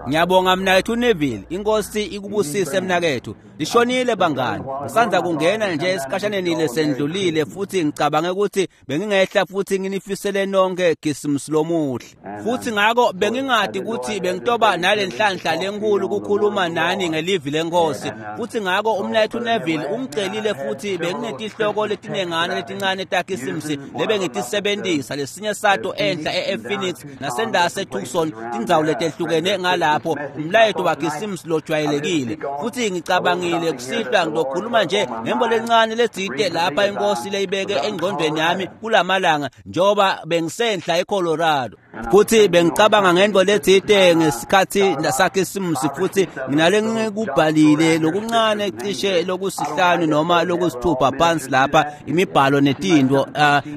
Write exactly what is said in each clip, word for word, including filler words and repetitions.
Ngiyabonga mnakethu Neville, inkosi ikubusise mnakethu. Lishonile bangani. Ngisanza kungena nje esikhashaneni lesendlulile futhi ngicabange ukuthi bengingehla futhi nginifisele nonke Khisimusi lomuhle. Futhi ngako bengingadi ukuthi bengitoba nalenhlanhla lenkulu ukukhuluma nani ngelivi lenkosi. Futhi ngako umnakethu Neville ungicelile futhi benginetihloko letinengana letincane taKhisimusi lebengitisebenzisa lesinye sato enhla ePhoenix nasendase Tucson tindzawo letehlukene ngalapho umlayeto waKhisimusi lojwayelekile. Futhi ngicabangile kusihlwa ngizokhuluma nje ngembo lencane letsite lapha inkosi leyibeke engqondweni yami kulamalanga njengoba bengisenhla eColorado. Futhi bengicabanga ngento letsite ngesikhathi saKhisimusi futhi nginale ngikubhalile lokuncane cishe lokusihlanu noma lokusithupha phansi lapha imibhalo netinto.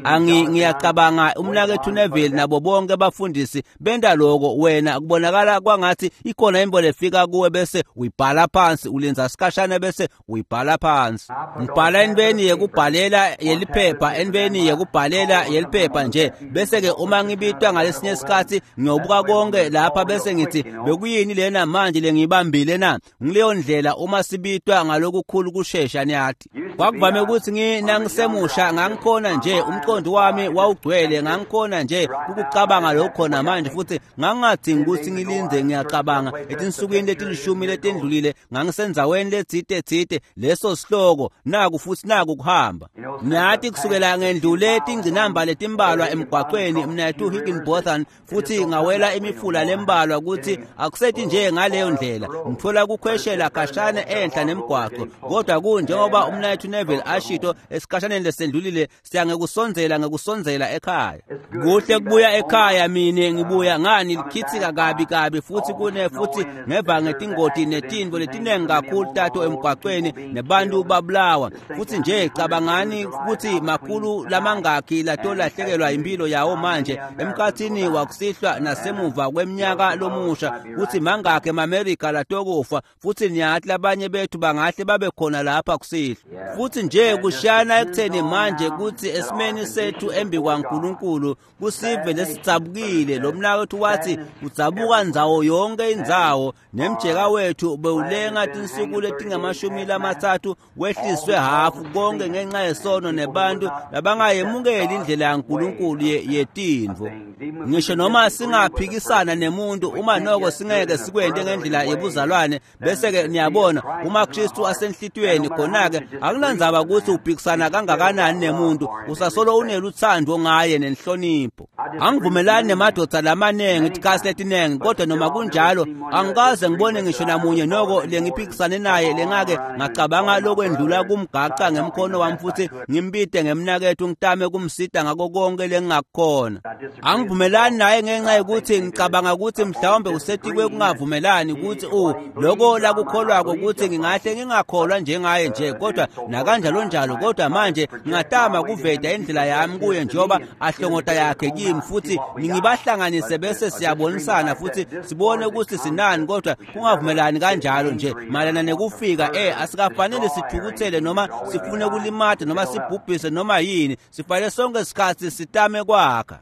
Angi ngiyacabanga umnakethu Neville nabo bonke abafundisi benda lokho. Wena kubonakala kwangathi ikhona imbo lefika kuwe bese uyibhala phansi, ulenza sikhashana bese uyibhala phansi. Ngibhala entweni yekubhalela yeliphepha, entweni yekubhalela yeliphepha nje bese ke uma ngibitwa ngalesinye isikhathi ngiyobuka konke lapha bese ngithi bekuyini lena manje lengibambile na. Ngileyo ndlela uma sibitwa ngalokukhulu kushesha niyathi. Kwakuvame ukuthi nginangisemusha ngangikhona nje umqondo wami wawugcwele, ngangikhona nje ukucabanga lokho khona manje futhi ngangingadingi ukuthi ngilinde. Ngiyacabanga etinsukwini letilishumi letendlulile ngangisenzaweni letsite tsite leso sihloko naku futhi naku kuhamba. Nathi kusukela ngendlule tingcinamba letimbalwa emgwaqweni mnathu Higginbotham futhi ngawela imifula lembalwa ukuthi akusethi nje ngaleyo ndlela ngithola kukhweshela khashana enhla nemgwaqo. Kodwa kunjengoba umnathu Neville ashito esikhashaneni lesendlulile, siya ngekusondzela ngekusondzela ekhaya. Kuhle kubuya ekhaya mine ngibuya ngani likhithika kabi kabi futhi kune futhi ngeva ngetingoti netinto letinengi kakhulu tato emgwaqweni nebantu babulawa. Futhi nje cabangani ukuthi makhulu lamangakhi latolahlekelwa impilo yawo manje emkhathini wakusihlwa nasemuva kweminyaka lomusha, kuthi mangakhe emaMerika latokufa. Futhi niyathi labanye bethu bangahle babe khona lapha kusihlwa. Futhi nje kushana ekutheni manje kuthi esimeni sethu embi kwaNkulunkulu kusive lesitsabukile. Lo mnakethu wathi udzabuka ndzawo yonke indzawo nemjeka wethu bewulenga tinsuku letingamashumi lamathathu wehliswe hafu konke ngenxa yesono nebantu labangayemukeli indlela yaNkulunkulu yetintfo. Ngisho noma singaphikisana nemuntu uma noko singeke sikwente ngendlela yebuzalwane bese ke niyabona uma Kristu asenhlitiyweni khona-ke akunandzaba ukuthi uphikisana kangakanani nemuntu, usasolo uneluthando ngaye nenhlonipho. Angivumelani nemadoda lamanengi tikhathi letinengi, kodwa noma kunjalo angikaze ngibone ngisho namunye noko lengiphikisane naye lengake ngacabanga lokwendlula kumgaca ngemkhono wami futhi ngimbite ngemnakethu ngitame kumsita ngako konke lengingakukhona. Angivumelani naye ngenxa yokuthi ngicabanga ukuthi mhlawumbe usetikwe kungavumelani ukuthi u lokho lakukholwako ukuthi ngingahle ngingakholwa njengaye nje, kodwa nakanjalo njalo. Kodwa manje ngingatama kuveta indlela yami kuye njengoba ahlongota yakhe kimi futhi ngibahlanganise bese siyabonisana futhi sibone ukuthi sinani, kodwa kungavumelani kanjalo nje mayelana nekufika. Eh asikafanele sithukuthele noma sifune kulimata noma sibhubhise noma yini, sifanele sonke isikhathi sitame kwakha.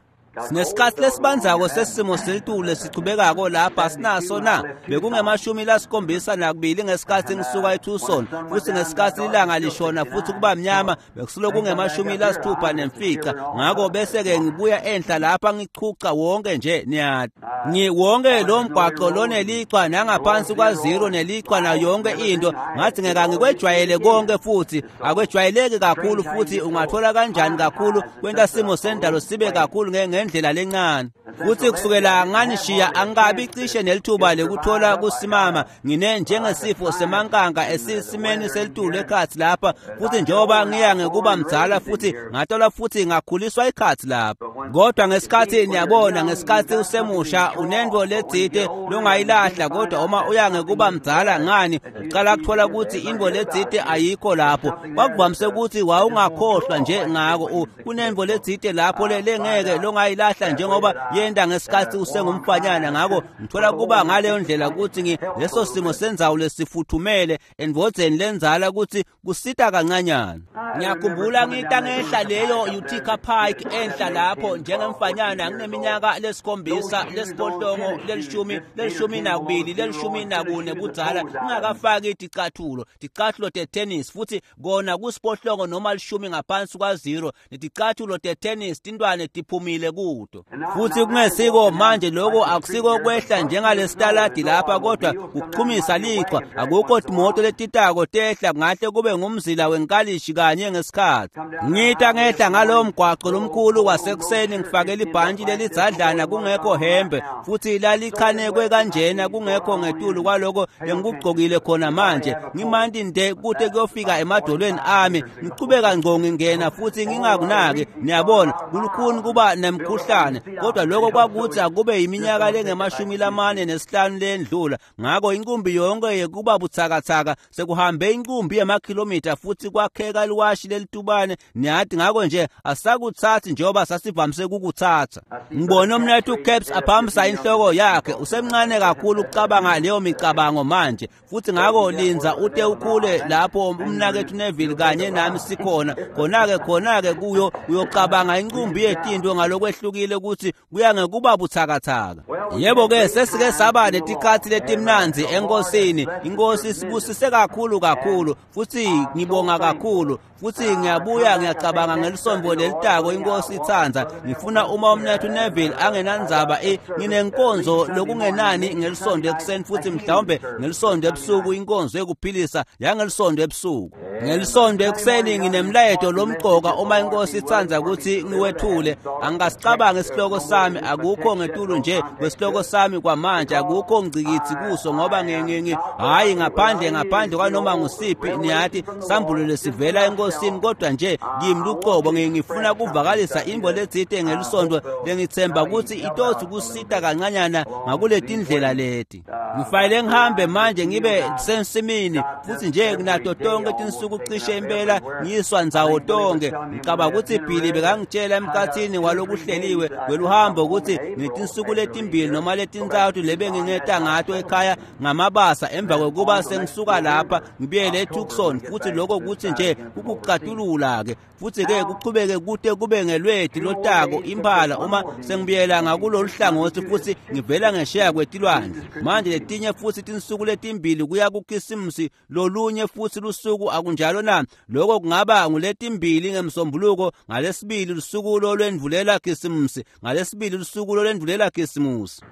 Sinesikhathi lesibanzako sesimo selitulu lesichubekako lapha sinaso na bekungemashumi lasikhombisa nakubili ngesikhathi ngisuka eTucson futhi ngesikhathi ilanga lishona futhi kuba mnyama bekusulo kungemashumi lasithupha nemfica. Ngako bese ke ngibuya enhla lapha ngichucha wonke nje niyathi ngi wonke lo mgwaqo lonelichwa nangaphansi kwa zero nelichwa nayo yonke into. Ngathi ngeke ngikwejwayele konke futhi akwejwayeleki kakhulu futhi ungathola kanjani kakhulu kwenta simo sendalo sibe kakhulu nge ndlela lencane. Futhi kusukela nganishiya angikabi cishe nelithuba lekuthola kusimama ngine njengesifo semankanka esisimeni selitulu ekhathi lapha. Futhi njengoba ngiya ngekuba mdzala futhi ngathola futhi ngakhuliswa ikhathi lapha. Kodwa ngesikhathi niyabona ngesikhathi usemusha unento letsite longayilahla, kodwa uma uya ngekuba mdzala ngani ucala kuthola ukuthi into letsite ayikho lapho. Kwakuvamise ukuthi wawungakhohlwa nje ngako kunento letsite lapho lengeke longayi Itayilahla njengoba yenda ngesikhathi usengumfanyana. Ngako ngithola kuba ngaleyo ndlela kutsi leso simo sendzawo lesifuthumele endvodzeni lenzala kutsi kusita kancanyana. Ngiyakhumbula ngita ngehla leyo Utica Pike enhla lapho njengemfanyana ngineminyaka lesikhombisa lesiphohlongo lelishumi lelishumi nakubili lelishumi nakune budzala, ngingakafaki ticathulo ticathulo tetennis, futhi kona kusiphohlongo noma lishumi ngaphansi kwa zero, neticathulo tetennis tintwane tiphumile kuto. Futhi kungesiko manje lokho akusiko kwehla njengalesitaladi lapha, kodwa ukuchumisa lichwa. Akukho timoto letitako tehla, ngahle kube ngumzila wenkalishi kanye ngesikhathi. Ngita ngehla ngalowo mgwaqo lomkhulu wasekuseni ngifake libhantshi lelidzadlana kungekho hembe, futhi lalichanekwe kanjena kungekho ngetulu kwaloko lengikugcokile khona manje. Ngimanti nde kute kuyofika emadolweni ami, ngichubeka ngco ngingena futhi ngingakunaki. Niyabona kulukhuni kuba nemkhuhlane, kodwa lokho kwakuthi akube iminyaka lengemashumi lamane nesihlanu lendlula. Ngako inkumbi yonke yekuba butsakatsaka sekuhambe inkumbi yemakhilomitha futhi kwakheka liwashi lelitubane, niyathi. Ngako nje asakuthathi njengoba sasivamise kukuthatha. Ngibona umnethu Caps aphamisa inhloko yakhe, usemncane kakhulu ukucabanga leyo micabango manje. Futhi ngako linza ute ukhule lapho umnakethu Neville kanye nami sikhona khona-ke khona-ke kuyo uyocabanga inqumbi yetinto ngalokwehlukile ukuthi kuya ngekuba butsakatsaka. Yebo-ke sesike saba netikhathi letimnandzi enkosini. Inkosi sibusise kakhulu kakhulu, futhi ngibonga kakhulu. Futhi ngiyabuya ngiyacabanga ngelisombo lelitako inkosi itsandza. Ngifuna uma umnethu Neville angenandzaba nginenkonzo lokungenani ngelisondo ekuseni, futhi mhlawumbe ngelisondo ebusuku inkonzo yekuphilisa yangelisondo ebusuku. Ngelisondo ekuseni nginemlayeto lomcoka uma inkosi itsandza ukuthi ngiwethule. Angikasicabangi isihloko sami, akukho ngetulu nje kwesihloko sami kwamanje, akukho ngcikitsi kuso ngoba ngingi hayi ngaphandle ngaphandle kwanoma ngusiphi niyathi sambulo lesivela enkosini, kodwa nje kimi lucobo ngifuna kuvakalisa imbo letsite ngelisonto lengithemba ukuthi itothi kusita kancanyana ngakuletindlela leti. Ngifanele ngihambe manje ngibe sensimini, futhi nje nginato tonke tinsuku cishe impela ngiyiswa ndzawo tonke. Ngicabanga ukuthi Billy bekangitshela emkhathini walokuhleliwe kweluhambo ukuthi ngitinsuku letimbili noma letintsatfu lebengingeta ngato ekhaya ngamabasa emva kwekuba sengisuka lapha ngibuyele eTucson, futhi lokho kuthi nje kukucatulula-ke futhi-ke kuchubeke kute kube ngelweti lotako imphala uma sengibuyela ngakulolu hlangothi futhi ngivela ngesheya kwetilwandle. Manje letinye futhi tinsuku letimbili kuya kuKhisimusi lolunye futhi lusuku, akunjalo na? Lokho kungaba nguletimbili ngemsombuluko, ngalesibili lusuku lolwendvulela Khisimusi, ngalesibili lusuku lolwendvulela Khisimusi.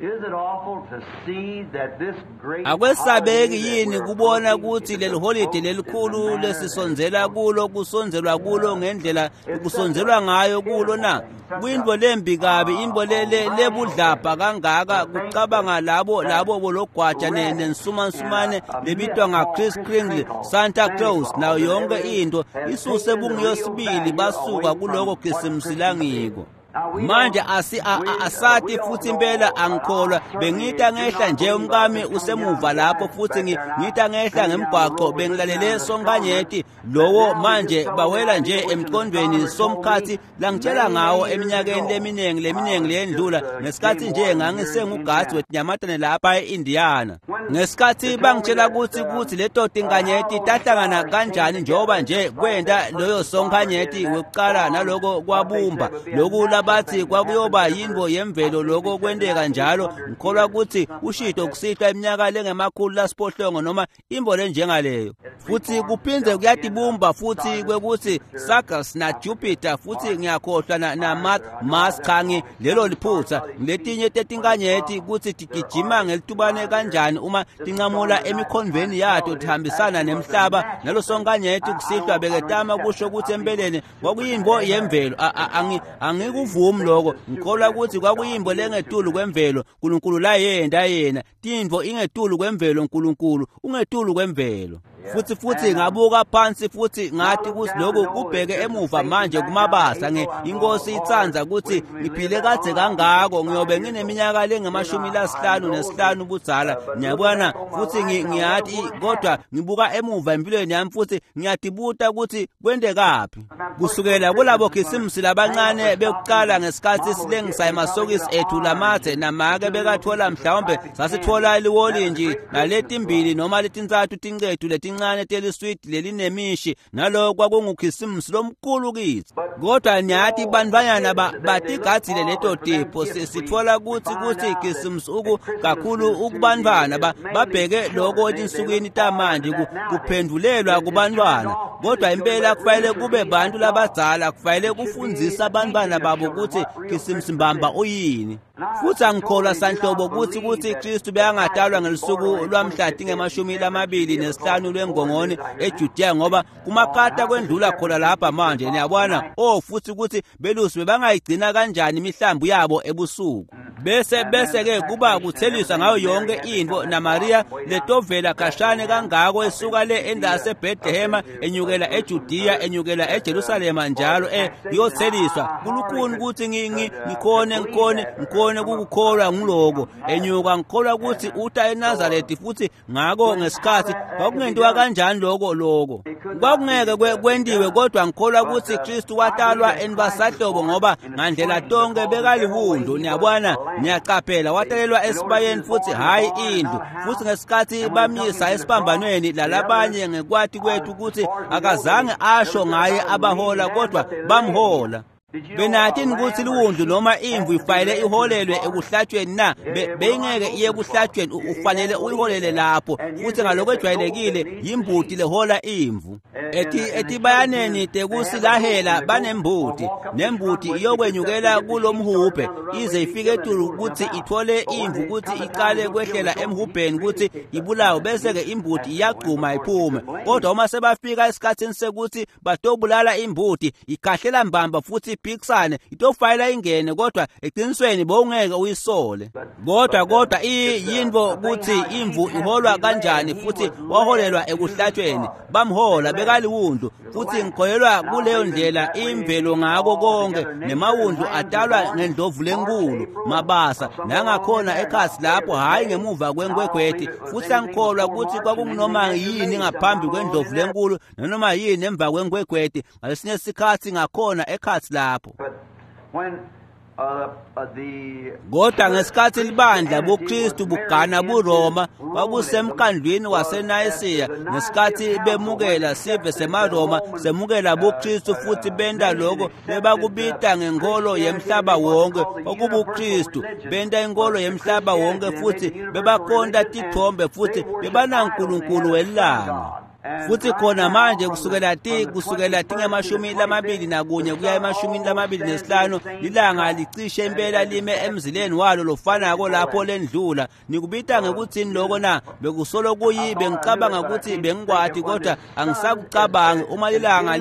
Akwesabeki yini kubona ukuthi leli holide lelikhulu lesisondzela kulo kusondzelwa kulo ngendlela kusondzelwa ngayo kulo na? Kuyintfo lembi kabi, intfo lebudlabha kangaka kucabanga labo labo bologwaja nensumansumane lebitwa nga-Kris Kringle, Santa Claus nayo yonke into isuse bungiyosibili basuka kuloko Khisimusi langiko. Manje asi asati futhi impela angikholwa. Bengita ngehla nje umkami usemuva lapho, futhi ngita ngehla ngemgwaqo bengilalele sonkanyeti lowo manje bawela nje emqondweni somkhathi langitshela ngawo eminyakeni leminingi leminingi leyendlula ngesikhathi nje ngangisengugazi wetinyamatane lapha e-Indiana. Ngesikhathi bangitshela ukuthi ukuthi leto tinkanyeti tahlangana kanjani njengoba nje kwenta loyo sonkanyeti wekuqala naloko kwabumba loku labathi kwakuyoba yintfo yemvelo loko kwenteka njalo. Ngikholwa ukuthi ushito kusitwa iminyaka lengemakhulu lasiphohlongo noma imbo lenjengaleyo, futhi kuphindze kuyatibumba futhi kwekuthi Sagas na Jupiter futhi ngiyakhohlwa na, na Mars cha lelo liphutha letinye tetinkanyeti kutsi tigijima ngelitubane kanjani uma tincamula emikhondvweni yato tihambisana nemhlaba. Nalo sonkanyeti kusihlwa beketama kusho ukuthi empeleni kwakuyintfo yemvelo. Angikuvumi lokho, ngikholwa ukuthi kwakuyimbo lengetulu kwemvelo uNkulunkulu layenda yena. Tintfo ingetulu kwemvelo, uNkulunkulu ungetulu kwemvelo. Futhi futhi ngabuka phansi futhi ngathi ukuthi lokhu kubheke emuva manje kumabasa nge inkosi itsandza ukuthi ngiphile kadze kangako ngiyobe ngineminyaka lengamashumi lasihlanu nesihlanu ubudzala ngiyabona futhi ngiyathi kodwa ngibuka emuva empilweni yami futhi ngiyadibuta ukuthi kwendekaphi kusukela kulabo khisimusi labancane bekuqala ngesikhathi silengisa emasokisi ethu lamathe namake bekathola mhlawumbe sasithola liwolinji naletimbili noma letintsathu tincethu letincane teliswidi lelinemishi naloko kwakungukhisimusi lomkhulu kithi kodwa niyathi bantfwanyana batigadzile leto tipho sitfola kutsi kutsi khisimusi uku kakhulu ukubantfwana babheke loko etinsukwini tamanje kuphendvulelwa kubantfwana kodwa impela kufanele kube bantu labadzala kufanele kufundzisa abantwana babo kutsi khisimusi mbamba uyini. Futhi angikholwa sanhlobo kutsi kutsi Kristu bekangatalwa ngelusuku lwamhla tingemashumi lamabili nesihlanu lwengongoni eJudea ngoba kumakata kwendlula khona lapha manje niyabona oh futhi kutsi belusi bebangayigcina kanjani imihlambi yabo ebusuku bese bese ke kuba kutheliswa ngayo yonke into naMaria letovela khashane kangako esuka le endase Bethlehem enyukela eJudea enyukela eJerusalema njalo eh iyotheliswa kulukhuni ukuthi ngi ngikhone ngikhone ngikhone ukukholwa ngiloko enyuka ngikholwa ukuthi uta eNazaretha futhi ngako ngesikhathi kwakungentiwa kanjani lokho lokho kwakungeke kwentiwe kodwa ngikholwa ukuthi Kristu watalwa enibasahlobo ngoba ngandlela tonke bekaliwundu niyabona niyaqaphela watalelwa esibayeni futhi hayi indlu futhi ngesikhathi bamisa esiphambanweni lalabanye ngekwati kwethu ukuthi akazange asho ngaye abahola kodwa bamhola. Benathini ukuthi liwundlu noma imvu ifanele iholelwe ekuhlatshweni na beyingeke iye ekuhlatshweni ufanele uyiholele lapho futhi ngaloko ejwayelekile yimbuti lehola imvu ethi etibayaneni tekusilahela banembuti nembuti iyokwenyukela kulomhubhe ize ifike etulu ukuthi ithole imvu ukuthi iqale kwehlela emhubheni ukuthi ibulawe bese ke imbuti iyagquma iphume kodwa uma sebafika esikhathini sekuthi batobulala imbuti ikhahlela mbamba futhi iphikisane itofayela ingene kodwa eqinisweni bowungeke uyisole kodwa kodwa iyinto ukuthi imvu iholwa kanjani futhi waholelwa ekuhlatshweni bamhola bekaliwundlu futhi ngikholelwa kuleyo ndlela imvelo ngako konke nemawundlu atalwa ngendlovu lenkulu mabasa nangakhona ekhasi lapho hayi ngemuva kwenkwekhweti futhi angikholwa ukuthi kwakungunoma yini ngaphambi kwendlovu lenkulu nanoma yini emva kwenkwekhweti ngalesinye isikhathi ngakhona ekhasi lapho. Kodwa ngesikhathi libandla buKristu bugana buRoma kwakusemkhandlwini waseNayisiya ngesikhathi bemukela sive semaRoma semukela buKristu futhi benta lokho bebakubita ngenkolo yemhlaba wonke okubuKristu benta inkolo yemhlaba wonke futhi bebakhonta tithombe futhi bebanaNkulunkulu welanga. Futhi khona manje kusukela ti kusukela tingemashumi lamabili nakunye kuya emashumini lamabili nesihlanu lilanga licishe impela lime emzileni walo lofanako lapho lendlula nikubita ngekuthini lokho na bekusolo kuyi bengicabanga ukuthi bengikwati kodwa angisakucabangi uma lilanga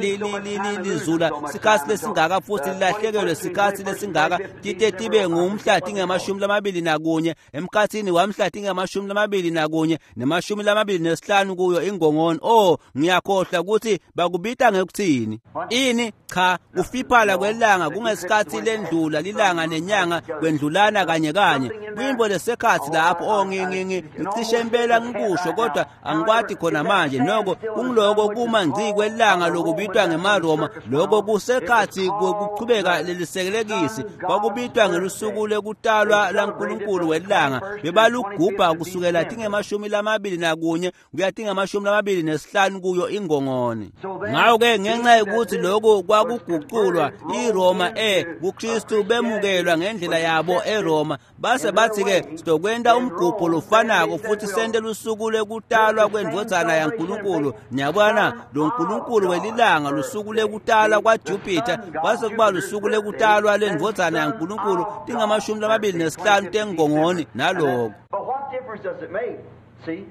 lizula sikhathi lesingaka futhi lilahlekelwe sikhathi lesingaka tite tibe ngumhla tingemashumi lamabili nakunye emkhathini wamhla tingemashumi lamabili nakunye nemashumi lamabili nesihlanu kuyo ingongoni. Oh ngiyakhohlwa ukuthi bakubita ngekuthini ini cha kufiphala kwelanga kungesikhathi lendlula lilanga nenyanga kwendlulana kanye kanye kuyimbo lesekhathi lapho oh ngi ngicishe impela ngikusho kodwa angikwati khona manje noko kungiloko kuma ngci kwelanga lokubitwa ngemaRoma lokho kusekhathi kokuchubeka lelisekelekisi kwakubitwa ngelusuku lekutalwa laNkulunkulu welanga bebalugubha kusukela tingemashumi lamabili nakunye kuya tingemashumi lamabili nesihlanu kuyo ingongoni. Ngawo ke ngenxa yokuthi lokho kwakuguqulwa iRoma eh kuKristu bemukelwa ngendlela yabo eRoma base bathi ke sizokwenta umgubho lofanako futhi sente lusuku lekutalwa kwendvodzana yaNkulunkulu niyabona lo Nkulunkulu welilanga lusuku lekutalwa kwaJupiter kwase kuba lusuku lekutalwa lendvodzana yaNkulunkulu tingamashumi lamabili nesihlanu tengongoni naloko. But what difference does it make? See?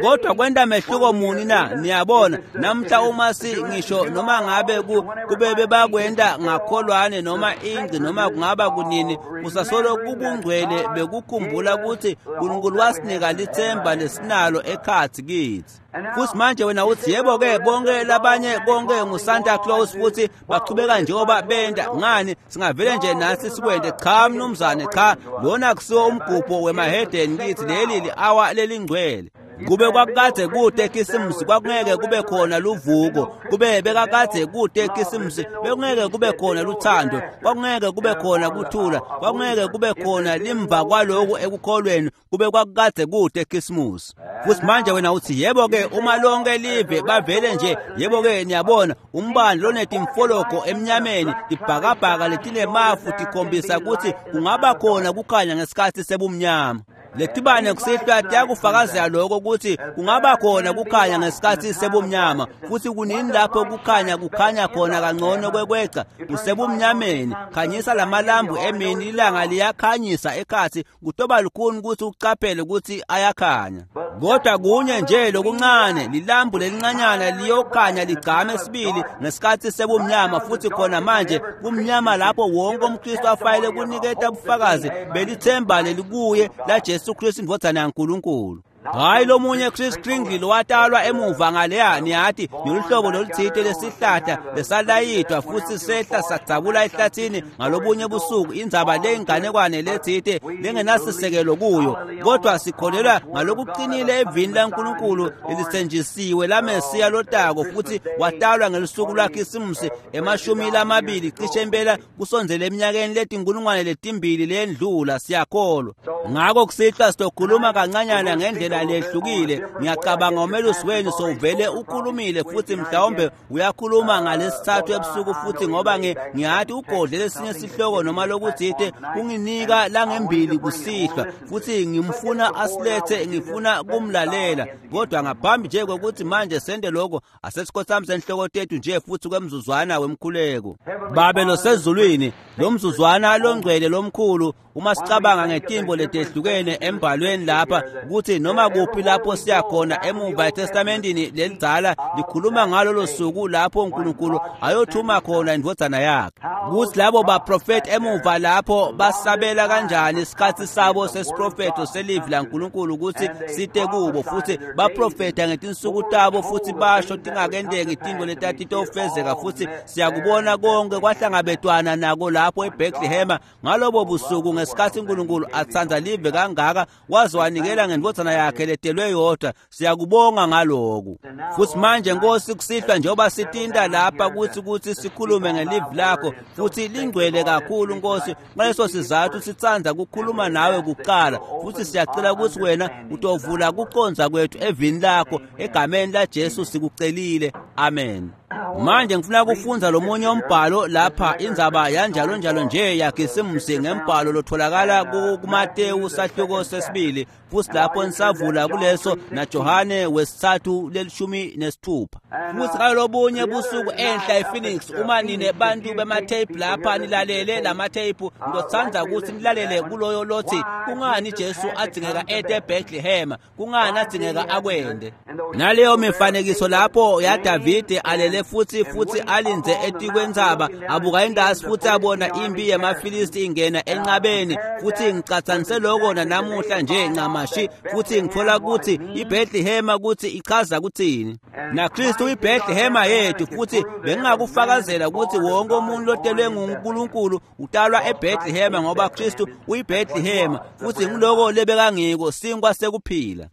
Kodwa kwenta mehluko muni na? Niyabona namhla uma si ngisho noma ngabe kube bebakwenta ngakholwane noma ingci noma kungaba kunini, kusasolo kubungcwele bekukhumbula ukuthi uNkulunkulu wasinika lithemba lesinalo ekhathi kithi. Futhi manje wena uthi yebo ke bonke labanye konke nguSanta Claus futhi bachubeka njengoba benda ngani singavele nje nathi sikwende. Cha mnumzane, cha, lona kusiwo umgubho wemahedeni kithi, leli li-awa lelingcwele. Kube kwakade kude Khisimusi kwakungeke kube khona luvuko, kube bekakade kude Khisimusi bekungeke kube khona luthando, kwakungeke kube khona kuthula, kwakungeke kube khona limva kwaloku ekukholweni, kube kwakade kude Khisimusi. Futhi manje wena uthi yebo ke uma lonke live bavele nje, yebo ke niyabona umbani lonetimfologo emnyameni, tibhakabhaka letinemafu tikhombisa ukuthi kungaba khona kukhanya ngesikhathi sebumnyama. Letibane kusihlwa tiyakufakazela lokho ukuthi kungaba khona kukhanya ngesikhathi sebumnyama, futhi kunini lapho kukhanya kukhanya khona kangcono kwekweca kusebumnyameni. Khanyisa lamalambu emini, ilanga liyakhanyisa ekhathi, kutoba lukhuni ukuthi ucaphele ukuthi ayakhanya. Kodwa kunye nje lokuncane, lilambu lelincanyana liyokhanya ligcame sibili ngesikhathi sebumnyama, futhi khona manje kumnyama lapho wonke umKristu afanele kuniketa ubufakazi belithemba lelikuye la Jesu Kristu indvodzana yaNkulunkulu. Hayi lomunye Chris Kringle watalwa emuva ngaleya, niyathi noluhlobo loluthile lesihlahla lesalayidwa futhi sehla sadzabula ehlathini ngalobunye busuku, indzaba leyinganekwane lethite lengenasisekelo kuyo, kodwa sikholelwa ngalokuqinile evini laNkulunkulu lelisenjisiwe laMesiya lotako, futhi watalwa ngelusuku lwaKhisimusi emashumi lamabili cishe impela kusondzele eminyakeni letinkulungwane letimbili lendlula. Siyakholwa ngako kusihlwa sitokhuluma kancanyana ngendlela lehlukile. Ngiyacabanga umelusi wenu sowuvele ukhulumile futhi mhlawumbe uyakhuluma ngalesithathu ebusuku futhi, ngoba ngiyathi ugodle lesinye sihloko noma lokuthite kunginika langembili kusihlwa, futhi ngimfuna asilethe, ngifuna kumlalela. Kodwa ngaphambi nje kokuthi manje sende lokho, asesikhothamiseni inhloko tethu nje futhi kwemzuzwana wemkhuleko. Babe losezulwini, lo mzuzwana longcwele lomkhulu, uma sicabanga ngetimbo letehlukene embhalweni lapha ukuthi noma kuphi lapho siyakhona emuva eTestamentini lelidzala likhuluma ngalolo suku lapho uNkulunkulu ayothuma khona indvodzana yakhe, ukuthi labo baprofeti emuva lapho basabela kanjani isikhathi sabo sesiprofetho selivi laNkulunkulu ukuthi site kubo, futhi baprofetha ngetinsuku tabo futhi basho tingakendeki tintfo letatitofezeka, futhi siyakubona konke kwahlangabetwana nako lapho eBethlehem ngalobo busuku ngesikhathi uNkulunkulu atsandza live kangaka waze wanikela ngendvodzana yakhe letelwe yodwa. Siyakubonga ngaloku. Futhi manje Nkosi kusihlwa njengoba sitinta lapha kuthi kuthi sikhulume ngelivi lakho, futhi lingcwele kakhulu Nkosi, ngaleso sizathu sitsandza kukhuluma nawe kuqala, futhi siyacela ukuthi wena utovula kucondza kwethu evini lakho, egameni la Jesu sikucelile, amen. Manje ngifuna kufundza lomunye umbhalo lapha, indzaba yanjalo njalo nje yaKhisimusi ngembhalo lotholakala kuMatewu sahluko sesibili, futhi lapho nisavula kuleso naJohane wesithathu lelishumi nesithupha. Futhi ngalobunye busuku enhla ePhoenix, uma nine bantu bematheyiphu lapha nilalele lamatheyiphu, ngizotsandza ukuthi nilalele kuloyo lothi kungani Jesu adzingeka ete eBethlehem, kungani adzingeka akwende. Naleyo mifanekiso lapho yaDavide alele futhi futhi alinze etikwentsaba, abuka indasi futhi abona impi yemaFilisti ingena enqabeni, futhi ngicatsanise lokho nanamuhla nje ncamashi, futhi ngithola ukuthi iBethlehem ukuthi ichaza kuthini, naKristu iBethlehem yethu. Futhi bengingakufakazela ukuthi wonke umuntu lotelwe nguNkulunkulu utalwa eBethlehem, ngoba Kristu uyiBethlehem, futhi ngiloko lebekangiko sinkwa sekuphila.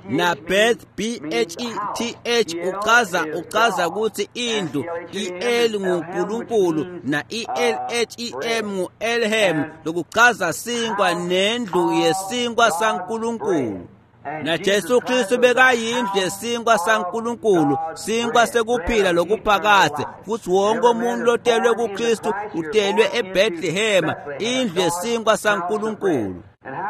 Na Beth B H E T H uchaza uchaza ukuthi indlu, E L nguNkulunkulu na E L H E M ngu Elhem, lokuchaza sinkwa nendlu yesinkwa saNkulunkulu. Na Jesu Kristu bekayindlu yesinkwa saNkulunkulu, sinkwa sekuphila lokuphakadze, futhi wonke umuntu lotelwe kuKristu utelwe eBethlehem, indlu yesinkwa saNkulunkulu.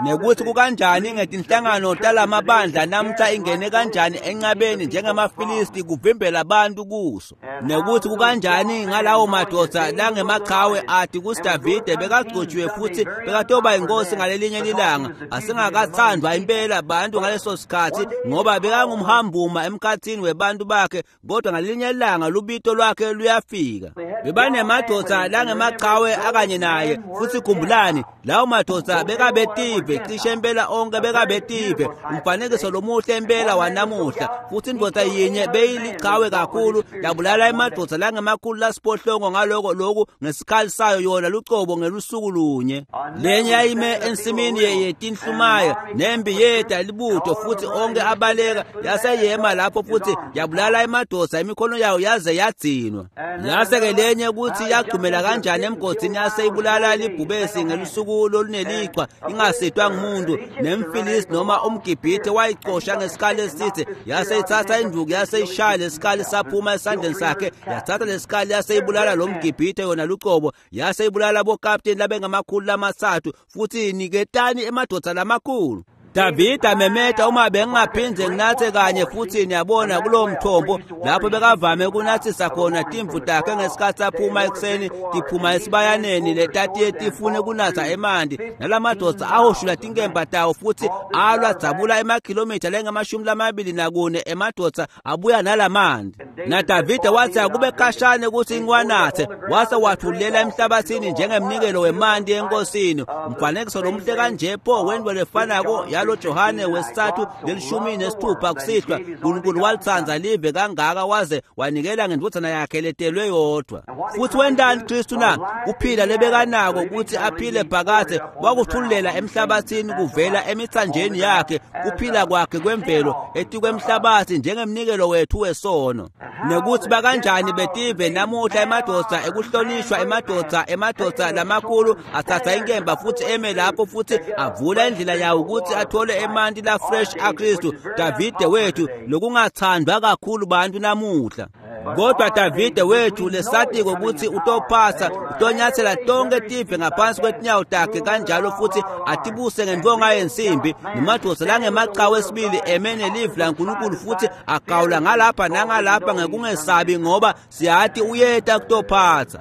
Nekuthi kukanjani ngetinhlangano talamabandla namhla ingene kanjani enqabeni njengemafilisti kuvimbela abantu kuso. Nekuthi kukanjani ngalawo madoda langemaqhawe athi kuDavide bekagcotshiwe futhi bekatoba inkosi ngalelinye ilanga. Asingakathandwa impela abantu ngaleso sikhathi ngoba bekangumhambuma emkhathini webantu bakhe, kodwa ngalelinye ilanga lubito lwakhe luyafika. Bebanemadoda langemaqhawe akanye naye, futhi khumbulani lawo madoda bekabetive cishe impela onke bekabetive. Umfanekiso lomuhle impela wanamuhla. Futhi indoda yinye beyiliqhawe kakhulu yabulala emadoda langemakhulu lasiphohlongo ngaloko lokhu ngesikhali sayo yona lucobo ngelusuku lunye. Lenye yayime ensimini yetinhlumaya nembi yeta libutho futhi onke abaleka, yaseyema lapho futhi yabulala emadoda imikhono yayo yaze yagcinwa. Yase-ke lenye kuthi yagxumela kanjani emgodini yaseyibulala libhubesi ngelusuku olunelichwa ingasitwa ngumuntu. Nemfilisti noma umGibhithe wayicosha ngesikali esithe, yaseyithatha induku yaseyishaya lesikali saphuma esandleni sakhe, yathatha lesikali yaseyibulala lo mGibhithe yona lucobo, yaseyibulala bokapteni labengamakhulu lamathathu. Futhi niketani emadoda lamakhulu. Davida memeta uma bengingaphindze nginathe kanye futhi niyabona kulowo mthombo lapho bekavame ukunathisa khona timvu takhe ngesikhathi aphuma ekuseni tiphuma esibayaneni letatiye tifune kunatha emanti. Nalamadoda ahoshula tinkemba tawo futhi alwa dzabula emakhilomitha lengamashumi lamabili nakune emadoda abuya nalamanti. NaDavide wathi akube khashane ukuthi ngiwanathe, wase wathulela emhlabathini njengemnikelo wemanti enkosini. Umfanekiso lomuhle kanje pho wento lefanako yalo Johane wesithathu lelishumi nesithupha kusihlwa. uNkulunkulu walithanda live kangaka waze wanikela ngendvodzana yakhe letelwe yodwa. Futhi wentani Kristu na? Kuphila lebekanako ukuthi aphile phakadze wakuthululela emhlabathini kuvela emithanjeni yakhe kuphila kwakhe kwemvelo etikwemhlabathi njengemnikelo wethu wesono. Nekuthi bakanjani betive namuhla emadoda ekuhlonishwa emadoda emadoda lamakhulu athatha inkemba futhi eme lapho futhi avula indlela yawo ukuthi athole emanti la fresh aKristu. Davide wethu lokungathandwa kakhulu bantu namuhla, kodwa Davide wethu lesatiko ukuthi utophasa utonyathela tonke tive ngaphansi kwetinyawo takhe kanjalo futhi atibuse ngentonga yensimbi. Nemadoda langemaqhawe esibili eme nelivi laNkulunkulu futhi agawula ngalapha nangalapha ngekungesabi ngoba siyathi uyeta kutophatha.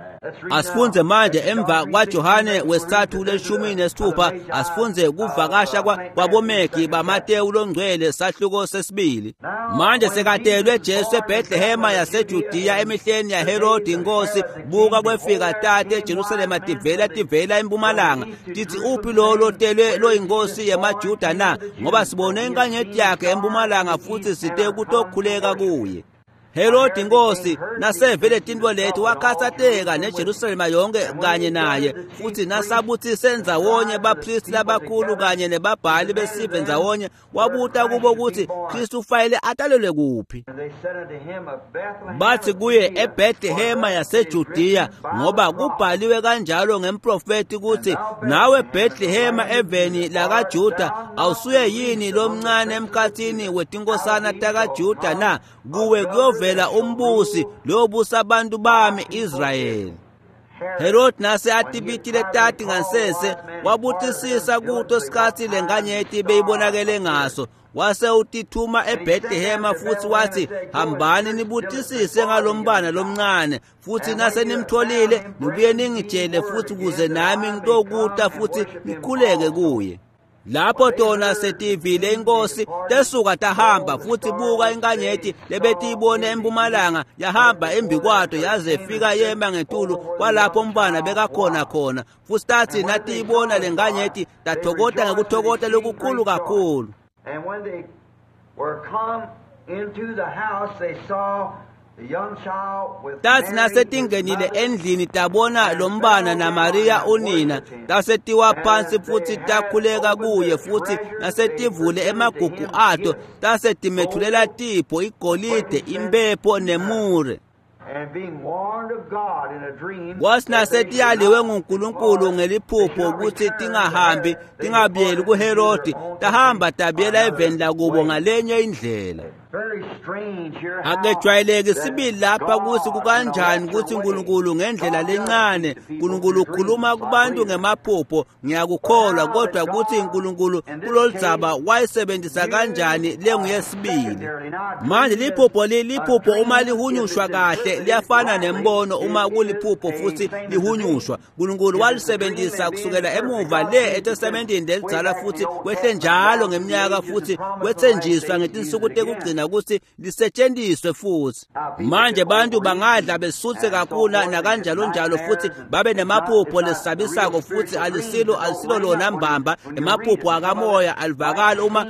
Asifunze manje emva kwaJohane wesithathu leshumi nesithupha, asifunze kuvakasha kwabomegi baMatewu longcwele sahluko sesibili. Manje sekatelwe Jesu eBethlehema yaseJudiya emihleni yaHerodi inkosi. Buka kwefika tate eJerusalema tivela tivela empumalanga tithi, uphi lo lotelwe loyinkosi yemaJuda na? Ngoba sibone inkanyeti yakhe empumalanga futhi site kutokhuleka kuye. Herodi inkosi nasevele tintfo leti wakhatsateka neJerusalema yonke kanye naye, futhi nasabuthise ndzawonye baphristi labakhulu kanye nebabhali besive ndzawonye, wabuta kubo ukuthi Kristu ufanele atalelwe kuphi. Bathi kuye, eBethlehema yaseJudiya, ngoba kubhaliwe kanjalo ngemprofeti ukuthi, nawe Bethlehema eveni lakaJuda awusuye yini lomncane emkhathini wetinkosana takaJuda na? Kuwe kuyovela umbusi lobusa abantu bami Israyeli. Herod nase atibitile tati ngansese wabutisisa kuto sikhathi lenkanyeti beyibonakele ngaso, wase utithuma eBethlehema futhi wathi, hambani nibutisise ngalombana lomncane, futhi nase nimtholile nibuye ningitshele futhi kuze nami ngitokuta futhi nikhuleke kuye. Lapho tona setivile inkosi tesuka tahamba, futhi buka inkanyeti lebetiyibone empumalanga yahamba embikwato yaze fika yema ngetulu kwalapho umbana bekakhona khona. Futhi tathi natiyibona lenkanyeti tathokota ngekuthokota lokukhulu kakhulu. And when they were come into the house, they saw the young child with Tathi nasetingenile endlini tabona lombana naMaria unina, tasetiwa phansi futhi takhuleka kuye, futhi nasetivule emagugu ato tasetimethulela tipho igolide, impepho nemure. Kwatsi nasetiyaliwe nguNkulunkulu ngeliphupho ukuthi tingahambi tingabuyeli kuHerodi, tahamba tabuyela eveni lakubo ngalenye indlela. Akejwayeleki sibili lapha ukuthi kukanjani ukuthi uNkulunkulu ngendlela lencane, uNkulunkulu ukhuluma kubantu ngemaphupho, ngiyakukholwa, kodwa ukuthi uNkulunkulu kuloludzaba wayisebenzisa kanjani lenguyesibili. Manje liphupho liphupho uma lihunyushwa kahle liyafana nembono uma kuliphupho futhi lihunyushwa. uNkulunkulu walisebenzisa kusukela emuva le eTestamenteni lelidzala futhi kwehle njalo ngeminyaka futhi kwethenjiswa ngetinsuku tekugcina ukuthi lisetshenziswe futhi. Manje bantu bangadla besuthe kakhulu nakanjalo njalo futhi babe nemaphupho lesabisako futhi alisilo alisilo lona mbamba. Emaphupho akamoya alivakali uma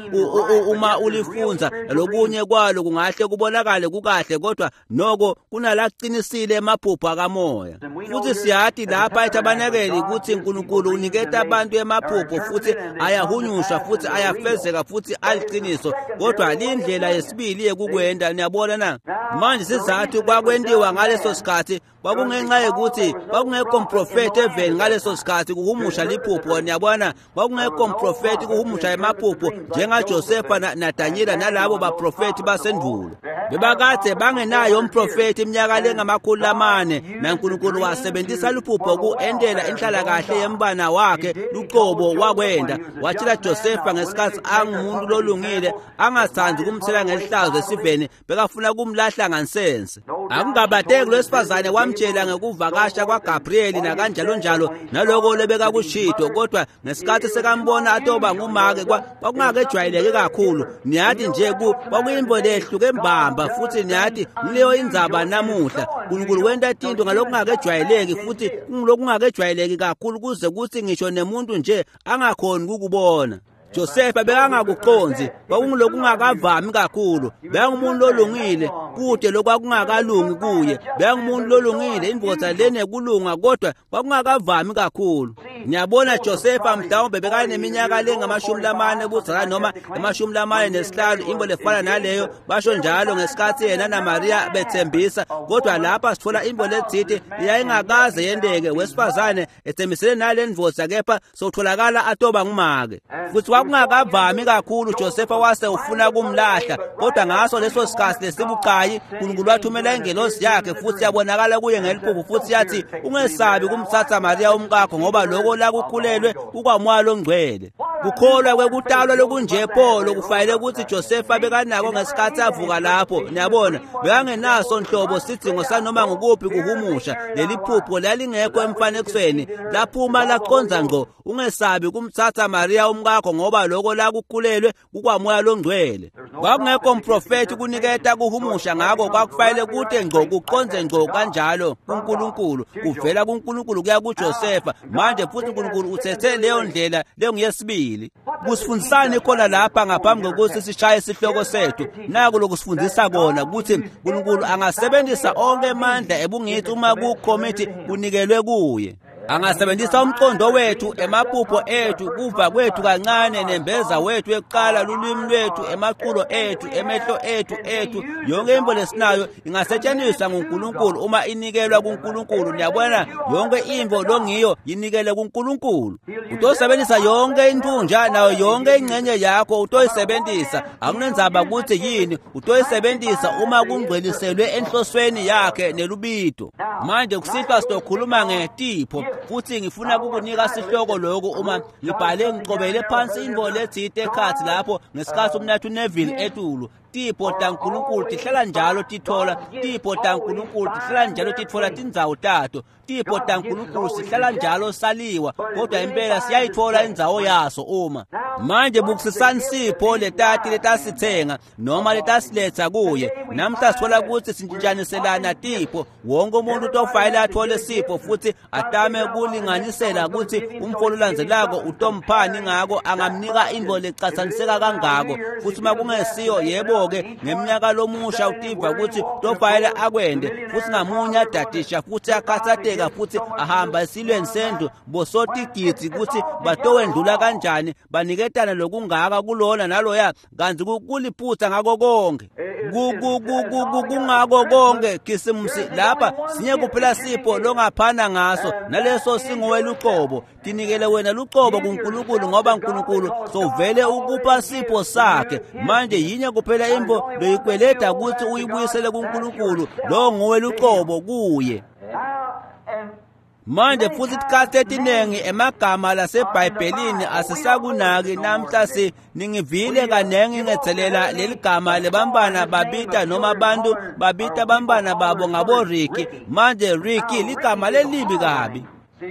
uma ulifunza, lokunye kwalo kungahle kubonakale kukahle, kodwa noko kunalaqinisile emaphupho akamoya. Futhi siyathi lapha ethabanekeli ukuthi uNkulunkulu uniketa abantu emaphupho futhi ayahunyushwa futhi ayafezeka futhi aliqiniso, kodwa lindlela yesibili yekukwenda. Niyabona na? Manje sizathu kwakwentiwa ngaleso sikhathi kwakungenxa yokuthi kwakungekho mprofethi eveni ngaleso sikhathi kuhumusha liphupho. Niyabona, kwakungekho mprofethi kuhumusha emaphupho njengaJosefa naDanyela nalabo baprofethi basendulo. Bebakade bangenayo umprofethi iminyaka lengamakhulu lamane, naNkulunkulu wasebenzisa liphupho ku-endela inhlalakahle yembana wakhe luqobo wakwenda. Watshela Josefa ngesikhathi angumuntu lolungile angathandi ukumthela ngelihlazo esiveni, bekafuna kumlahla ngansense. Akungabateki lwesifazane wamtshela ngekuvakasha kwaGabrieli nakanjalo njalo naloko lebekakushito, kodwa ngesikhathi sekambona atoba ngumake kwakungakejwayeleke kakhulu. Niyathi nje kwakuyimbo lehluke mbamba, futhi niyathi ngileyo indzaba namuhla. uNkulunkulu wenta tinto ngalokungakejwayeleki futhi kungilokungakejwayeleki kakhulu kuze kuthi ngisho nemuntu nje angakhoni ukubona. Josefa bekangakuqondzi, kwakungilokungakavami kakhulu. Bekangumuntu lolungile, kude lokwakungakalungi kuye. Bekangumuntu lolungile, indvodza lenekulunga, kodwa kwakungakavami kakhulu. Ngiyabona Josefa mhlawumbe bekaneminyaka lengamashumi lamane budzala noma emashumi lamane nesihlanu, imbo lefana naleyo, basho njalo ngesikhathi yena naMaria bethembisa. Kodwa lapha sithola imbo letsite yayingakaze yenteke, wesifazane ethembisele nale ndvodza, kepha sotholakala atoba ngumake. Futhi kwakungakavami kakhulu, Josefa wase ufuna kumlahla, kodwa ngaso leso sikhathi lesibucayi uNkulunkulu wathumela ingelosi yakhe futhi yabonakala kuye ngeliphupho futhi yathi, ungesabi kumthatha Maria umkakho, ngoba lokho lakukhulelwe kukwamoya longcwele. Kukholwa kwekutalwa lokunje pho lokufanele ukuthi Josefa bekanako ngesikhathi avuka lapho. Niyabona, bekangenaso nhlobo sidingo sanoma ngukuphi kuhumusha. Leli phupho lalingekho emfanekisweni, laphuma laqonza ngqo. Ungesabi kumthatha Maria umkakho, ngoba lokho lakukhulelwe kukwamoya longcwele. Kwakungekho mprofethi kuniketa kuhumusha, ngako kwakufanele kude ngqo kuqonze ngqo kanjalo kuNkulunkulu, kuvela kuNkulunkulu kuya kuJosefa. Manje futhi uNkulunkulu uthethe leyo ndlela lenguyesibili. Kusifundisani khona lapha ngaphambi kokuthi sishaye isihloko sethu? Naku lokusifundisa kona ukuthi uNkulunkulu angasebenzisa onke amandla ebungithi uma kukhomithi kunikelwe kuye. Angasebenzisa umqondo wethu, emaphupho ethu, kuva kwethu kancane, nembeza wethu ekuqala, lulwimi lwethu, emaqulo ethu, emehlo ethu ethu, yonke into lesinayo ingasetshenziswa nguNkulunkulu uma inikelwa kuNkulunkulu. Niyabona, yonke into longiyo yinikele kuNkulunkulu. Utosebenzisa yonke intunja nayo yonke ingxenye yakho utoyisebenzisa. Akunenzaba ukuthi yini, utoyisebenzisa uma kungcweliselwe enhlosweni yakhe nelubito. Manje kusihlwa sizokhuluma ngetipho, futhi ngifuna ukukunika sihloko lokhu uma ngibhale ngicobele phansi intfo letsite ekhatsi lapho ngesikhathi umnathu Neville etulu. Tipho taNkulunkulu tihlala njalo tithola, tipho taNkulunkulu tihlala njalo tithola tindzawo tato. Tipho taNkulunkulu sihlala njalo saliwa, kodwa impela siyayithola indzawo yaso uma. Manje bukisisani sipho letati letasithenga noma letasiletha kuye. Namhla sithola ukuthi sintshintshaniselana tipho, wonke umuntu utofayela athole sipho futhi atame kulinganisela ukuthi umfolo olandzelako utomphani ngako angamnika intfo lecatsaniseka kangako. Futhi uma kungesiyo, yebo Ngako-ke ngemnyaka lomusha utiva ukuthi tofayela akwende futhi ngamunye adadisha futhi akhathazeka futhi ahamba esilweni sendlu bosotigidzi ukuthi batowendlula kanjani baniketana lokungaka kulona naloya kanti kuliphutha ngako konke kungako konke khisimusi lapha sinye kuphela sipho longaphana ngaso naleso singuwe luqobo tinikele wena luqobo kuNkulunkulu ngoba uNkulunkulu sovele ukupha sipho sakhe. Manje yinye kuphela imvo loyikweleda ukuthi uyibuyisele kuNkulunkulu lo nguwe luqobo kuye. Manje futhi isikhathi etinengi emagama laseBhayibhelini asisakunaki namhla si ningivile kanengi ngetselela leli gama lebambana babita noma abantu babita bambana babo ngabo Ricky. Manje Ricky ligama lelibi kabi.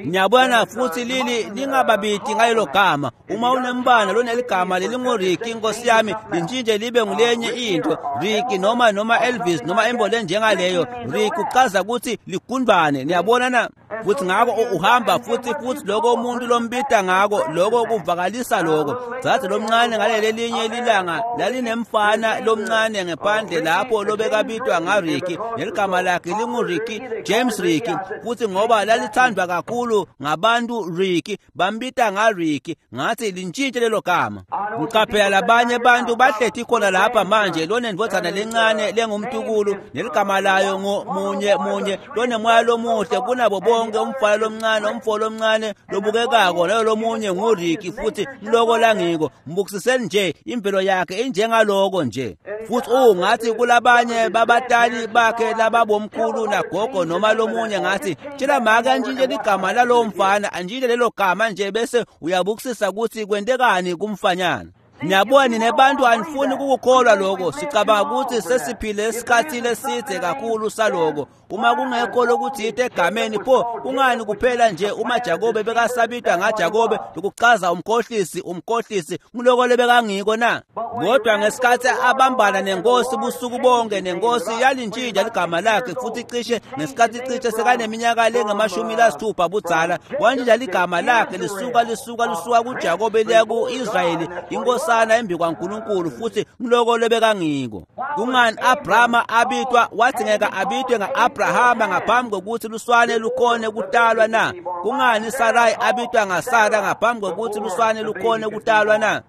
Ngiyabona futhi lili lingababiti ngalelo gama. Uma unembana loneligama lelinguRicky inkosi yami lintshintshe libe ngulenye into Ricky noma noma Elvis noma imbo njengaleyo. Ricky uchaza ukuthi ligundwane. Niyabona na? Futhi ngako uhamba futhi futhi lokho umuntu lombita ngako lokho kuvakalisa lokho. Dzadze lomncane ngaleli linye lilanga lalinemfana lomncane ngephandle lapho lobekabitwa ngaRicky neligama lakhe linguRicky James Ricky futhi ngoba lalithandwa kakhulu ngabantu Ricky bambita ngaRicky. Ngathi lintshintshe lelo gama. Ngiqaphela labanye abantu bahlethi khona lapha manje lonendvodzana lencane lengumtukulu neligama layo ngumunye munye lonemoya lomuhle kunabo bonke umfana lomncane umfo lomncane lobukekako leyo lomunye nguRicky futhi mloko langiko mbukisiseni nje imvelo yakhe injengaloko nje. Futhi ungathi kulabanye babatali bakhe lababomkhulu nagogo noma lomunye ngathi tshela make antshintshe ligama lalowo mfana antshintshe lelo gama nje bese uyabukisisa ukuthi kwentekani kumfanyana. Niyabona nebantu anifuni ukukholwa lokho. Sicabanga ukuthi sesiphile isikhathi leside kakhulu saloko. Uma kungekho lokuthi egameni pho kungani kuphela nje uma Jakobe bekasabitwa ngaJakobe lokuchaza umkhohlisi umkhohlisi ngiloko lebekangiko na? Kodwa ngesikhathi abambana nenkosi busuku bonke nenkosi yalintshintsha ligama lakhe futhi cishe ngesikhathi cishe sekaneminyaka lengamashumi lasithupha budzala wantshintsha ligama lakhe lisuka lisuka lisuka kuJakobe liya ku-Israyeli inkosana embi kwaNkulunkulu futhi ngiloko lebekangiko. Kungani Abrahama abitwa wathi ngeke abitwe nga-Abrahama ngaphambi kokuthi luswane lukhone kutalwa na? Kungani Sarai abitwa ngaSara ngaphambi kokuthi luswane lukhone kutalwa na?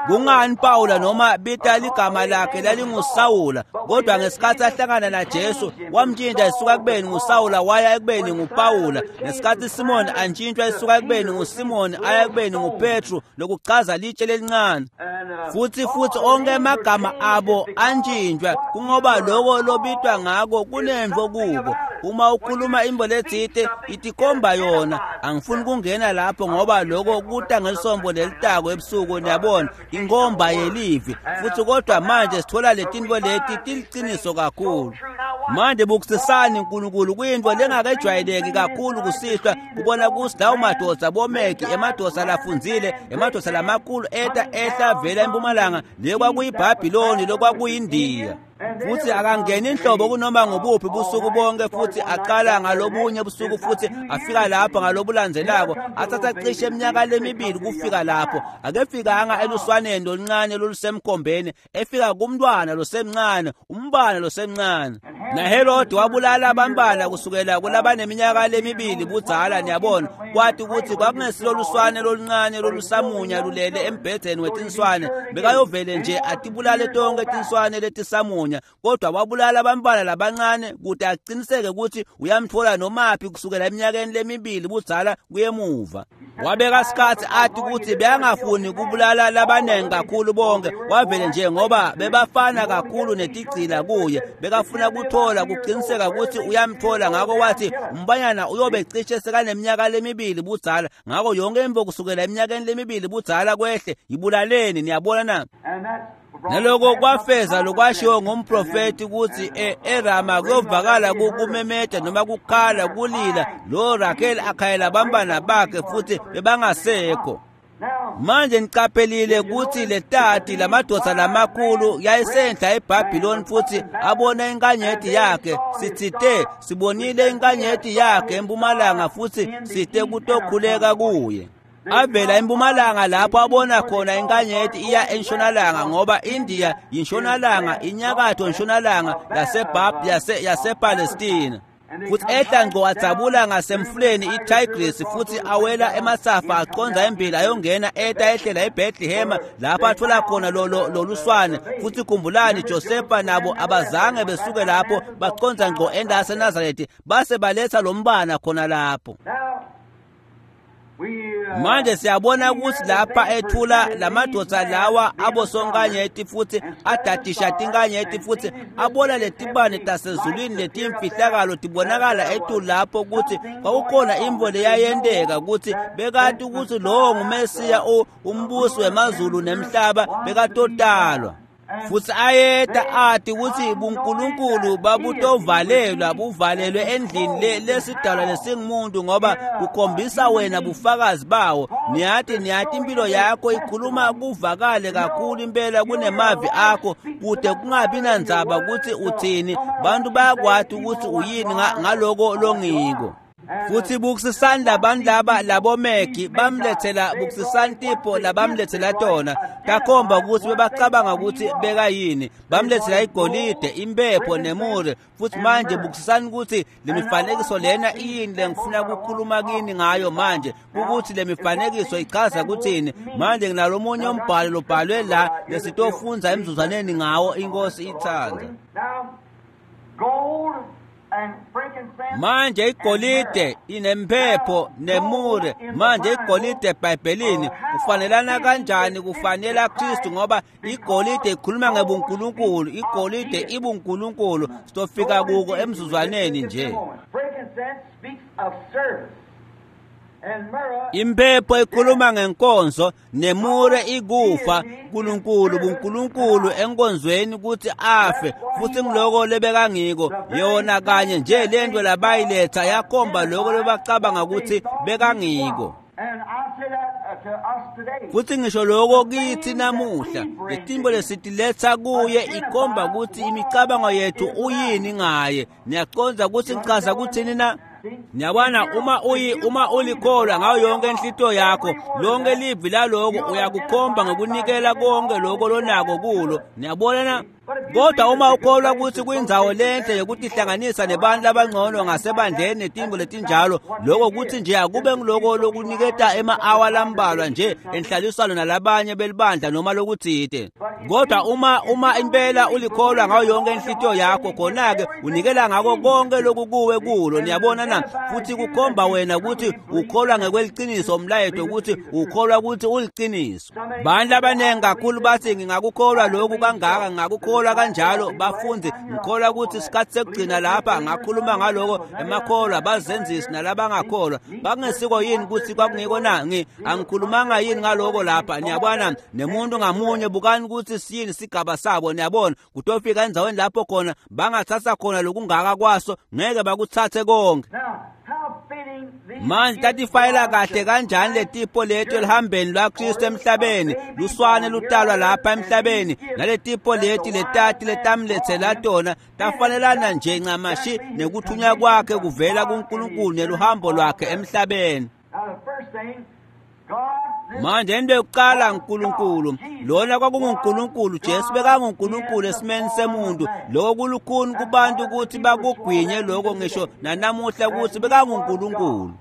Kungani Pawula noma bita ligama lakhe lalinguSawula kodwa ngesikhathi ahlangana naJesu wamtshintsha esuka kubeni nguSawula waya ekubeni nguPawula. Ngesikhathi Simon antshintshwa esuka ekubeni nguSimon aya ekubeni nguPetru lokuchaza litshe lelincane. Futhi futhi onke amagama abo antshintshwa kungoba lokho lobitwa ngako kunemvo kubo. Uma ukhuluma imbo letsite itikomba yona. Angifuni kungena lapho ngoba lokho kuta ngelisombo lelitako ebusuku niyabona inkomba yelivi. Futhi kodwa manje sithola letinto leti tiliciniso kakhulu. Manje bukisisani uNkulunkulu kuyinto lengakejwayeleki kakhulu kusihlwa kubona ukuthi lawo madoda bomeki emadoda lafundzile emadoda lamakhulu eta ehla vela empumalanga le kwakuyiBhabhiloni lokwakuyindiya. Futhi akangeni inhlobo kunoma ngubuphi busuku bonke futhi aqala ngalobunye busuku futhi afika lapho ngalobulandzelako athatha cishe eminyaka lemibili kufika lapho. Akefikanga eluswaneni loluncane lolusemkhombeni efika kumntwana losemncane umbana losemncane. NaHerode wabulala abantwana kusukela kulabaneminyaka lemibili budzala niyabona kwathi ukuthi kwakungesilo luswane loluncane lolusamunya lulele embhedeni wetinswane bekayovele nje atibulale tonke tinswane letisamunya kodwa wabulala abantwana labancane kude aqiniseke ukuthi uyamthola nomaphi kusukela eminyakeni lemibili budzala kuyemuva. Wabeka isikhathi athi ukuthi beyangafuni kubulala labanengi kakhulu bonke wavele nje ngoba bebafana kakhulu netigcila kuye bekafuna kuthola kuqiniseka ukuthi uyamthola. Ngakho wathi umbanyana uyobe cishe sekaneminyaka lemibili budzala ngakho yonke imvo kusukela eminyakeni lemibili budzala kwehle ibulaleni niyabona na? Naloko kwafeza lokwashiwo ngumprofeti ukuthi eRama kuyovakala kumemeta noma kukhala kulila lo Rakheli akhayela bambana bakhe futhi bebangasekho. Manje niqaphelile ukuthi letati lamadoda lamakhulu yayisenhla eBhabhiloni futhi abona inkanyeti yakhe. Sithite sibonile inkanyeti yakhe empumalanga futhi site kutokhuleka kuye. Avela empumalanga lapho abona khona inkanyeti iya entshonalanga, ngoba India yintshonalanga, inyakatho ntshonalanga yaseBab yase yasePalestina. Futhi ehla ngqo adzabula ngasemfuleni iTigris futhi awela emasafa aqonza embili ayongena eta ehlela eBethlehem lapho athola khona loluswane. Futhi khumbulani, Josefa nabo abazange besuke lapho, baqonza ngqo endase Nazareth base baletha lombana khona lapho. Manje siyabona ukuthi lapha ethula lamadoda lawa abosonkanyeti futhi adadisha tinkanyeti futhi abona letibane tasezulwini letimfihlakalo tibonakala etulu lapho ukuthi kwakukhona imvo leyayenteka ukuthi bekati ukuthi lowo nguMesiya umbusi wemazulu nemhlaba bekatotalwa. Futhi ayeta ati ukuthi buNkulunkulu babutovalelwa buvalelwe endlini lesidalwa lesingumuntu, ngoba kukhombisa wena bufakazi bawo. Niyati niyati impilo yakho ikhuluma kuvakale kakhulu impela kunemavi akho, kude kungabi nandzaba ukuthi uthini, bantu bayakwati ukuthi uyini ngaloko longiko. Futhi bukisisani labantu laba labomegi bamlethela, bukisisani tipho labamlethela tona, takhomba ukuthi bebacabanga ukuthi bekayini. Bamlethela igolide, impepho nemure. Futhi manje bukisisani ukuthi le mifanekiso lena iyini lengifuna ukukhuluma kini ngayo manje, ukuthi le mifanekiso ichaza ukuthini. Manje nginalomunye umbhalo lobhalwe la lesitofunza emzuzwaneni ngawo, inkosi ithanda. Manje igolide inempepho nemure. Manje igolide eBhayibhelini kufanelana kanjani kufanela Kristu, ngoba igolide ikhuluma ngebuNkulunkulu, igolide ibuNkulunkulu. Sitofika kuko emzuzwaneni nje. Impepho ikhuluma ngenkonzo, nemure ikufa. uNkulunkulu buNkulunkulu enkonzweni ukuthi afe, futhi ngiloko lebekangiko yona kanye nje lento labayiletha yakhomba lokho lebacabanga ukuthi bekangiko. Futhi ngisho lokho kithi namuhla, letimbo lesitiletha kuye ikhomba ukuthi imicabango yethu uyini ngaye. Niyaconza ukuthi ngichaza kuthini na? Niyabona, uma uyi uma ulikholwa ngayo yonke inhlito yakho, lonke livi laloko uyakukhomba ngokunikela konke lokho lonako kulo. Niyabona na? Kodwa uma ukholwa ukuthi kuyindzawo lenhle yokutihlanganisa nebantu labangcono ngasebandleni netimbo letinjalo, lokho kuthi nje akube ngiloko lokuniketa ema-awa lambalwa nje enhlaliswano nalabanye belibandla noma lokutsite. Kodwa uma uma impela ulikholwa ngayo yonke inhlitiyo yakho, khona-ke unikela ngako konke lokukuwe kulo. Niyabona na? Futhi kukhomba wena ukuthi ukholwa ngekweliciniso umlayeto, ukuthi ukholwa ukuthi uliciniso. Bantu abaningi kakhulu bathi ngingakukholwa lokhu kangaka, ngingakukholwa kanjalo. Bafundi, ngikholwa ukuthi isikhathi sekugcina lapha ngakhuluma ngaloko emakholwa bazenzisi nalabangakholwa. Bakungesiko yini ukuthi kwakungiko na? Ngi angikhulumanga yini ngaloko lapha? Niyabona, nemuntu ngamunye bukani ukuthi siyini sigaba sabo. Niyabona, kutofika endzaweni lapho khona bangathatha khona lokungaka kwaso, ngeke bakuthathe konke. Manje tatifayela kahle kanjani letipho lethu elihambeni lwaKristu emhlabeni, luswane lutalwa lapha emhlabeni, naletipho leti letati letamlethela tona tafanelana nje ncamashi nekuthunywa kwakhe kuvela kuNkulunkulu neluhambo lwakhe emhlabeni. Manje into yokuqala, uNkulunkulu lona kwakunguNkulunkulu. Jesu bekanguNkulunkulu esimeni semuntu. Lokho kulukhuni kubantu ukuthi bakugwinye lokho ngisho nanamuhla ukuthi bekanguNkulunkulu.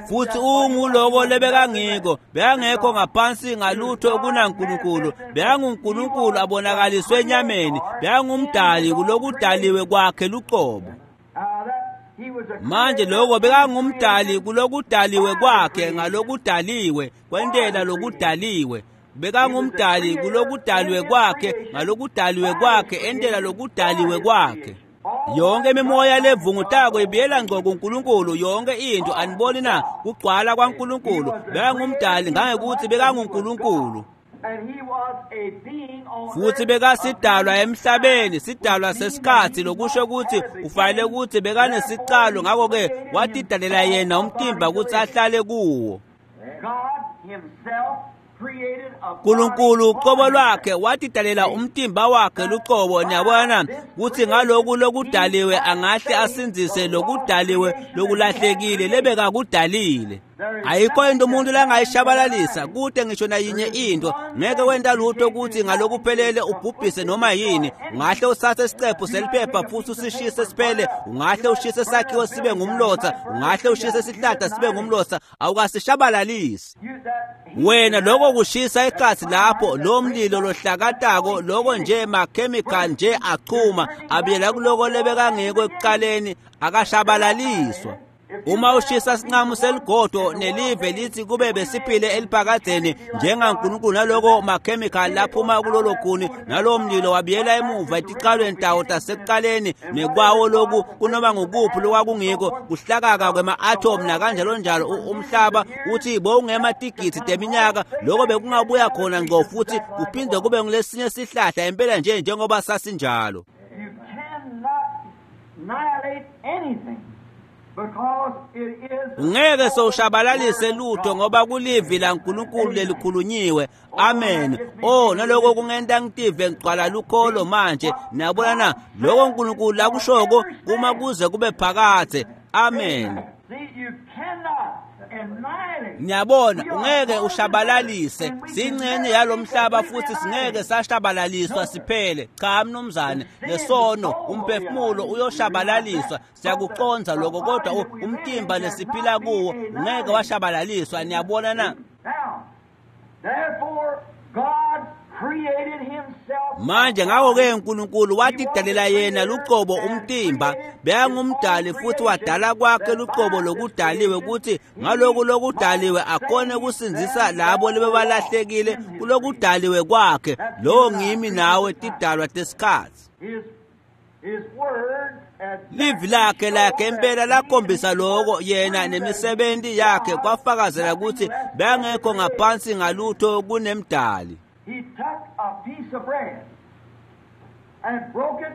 Futhi unguloko lebekangiko, bekangekho ngaphansi ngalutho kunaNkulunkulu, bekanguNkulunkulu abonakaliswe enyameni, bekangumdali kulokudaliwe kwakhe luqobo. Manje lokho bekangumdali kulokudaliwe kwakhe ngalokudaliwe, kwentela lokudaliwe. Bekangumdali kulokudaliwe kwakhe ngalokudaliwe kwakhe, entela lokudaliwe kwakhe. Yonke imimoya levungutako ibiyela ngqo kuNkulunkulu, yonke into. Aniboni na kugcwala kwaNkulunkulu? Bekangumdali ngangekuthi bekanguNkulunkulu. Futhi bekasidalwa emhlabeni, sidalwa sesikhathi, lokusho ukuthi ufanele ukuthi bekanesicalo, ngakho-ke watidalela yena umtimba ukuthi ahlale kuwo. uNkulunkulu uqobo lwakhe watidalela umtimba wakhe luqobo. Niyabona ukuthi ngaloku lokudaliwe angahle asindzise lokudaliwe lokulahlekile lebekakudalile. Ayikho into umuntu langayishabalalisa kude ngisho nayinye into. Ngeke wenta lutho ukuthi ngalokuphelele ubhubhise noma yini. Ungahle usathe isiqephu seliphepha futhi usishise siphele, ungahle ushise sakhiwo sibe ngumlotha, ungahle ushise isihlahla sibe ngumlotha, awukasishabalalisi. Wena lokho kushisa ikhathi lapho lo mlilo lohlakatako lokho nje makhemikhali nje achuma abuyela kuloko lebekangeko ekuqaleni, akashabalaliswa. Uma ushisa sinqamu seligodo nelive lithi kube besiphile eliphakadzeni njengaNkulunkulu, naloko makhemikhali laphuma kulolo khuni nalowo mlilo wabuyela emuva etiqalweni tawo tasekuqaleni nekwawo loku kunoma ngukuphi lokwakungiko kuhlakaka kwema-atom nakanjalo njalo. Umhlaba uthi bowungematigitsi teminyaka, lokho bekungabuya khona ngco futhi kuphinde kube ngulesinye sihlahla impela nje njengoba sasinjalo. You cannot annihilate anything. Ungeke sowushabalalise lutho ngoba kulivi laNkulunkulu lelikhulunyiwe. Amen. Oh, naloko kungenta ngitive ngigcwala lukholo manje. Niyabona na, lokho uNkulunkulu lakushoko kuma kuze kube phakadze. Amen. Niyabona, ungeke ushabalalise. Singcenye yalomhlaba futhi singeke sashabalaliswa siphele. Cha mnumzane, nesono umphefumulo uyoshabalaliswa. Siyakuconza lokho, kodwa umtimba lesiphila kuwo ungeke washabalaliswa. Niyabona na? Manje ngakho-ke uNkulunkulu watidalela yena luqobo umtimba, bekangumdali futhi wadala kwakhe luqobo lokudaliwe ukuthi ngalokhu lokudaliwe akhone kusindzisa labo lebebalahlekile kulokudaliwe kwakhe. Lowo ngimi nawe tidalwa tesikhatsi. Livi lakhe lakhe impela lakhombisa lokho yena nemisebenzi yakhe kwafakazela ukuthi bengekho ngaphansi ngalutho kunemdali. He took a piece of bread and broke it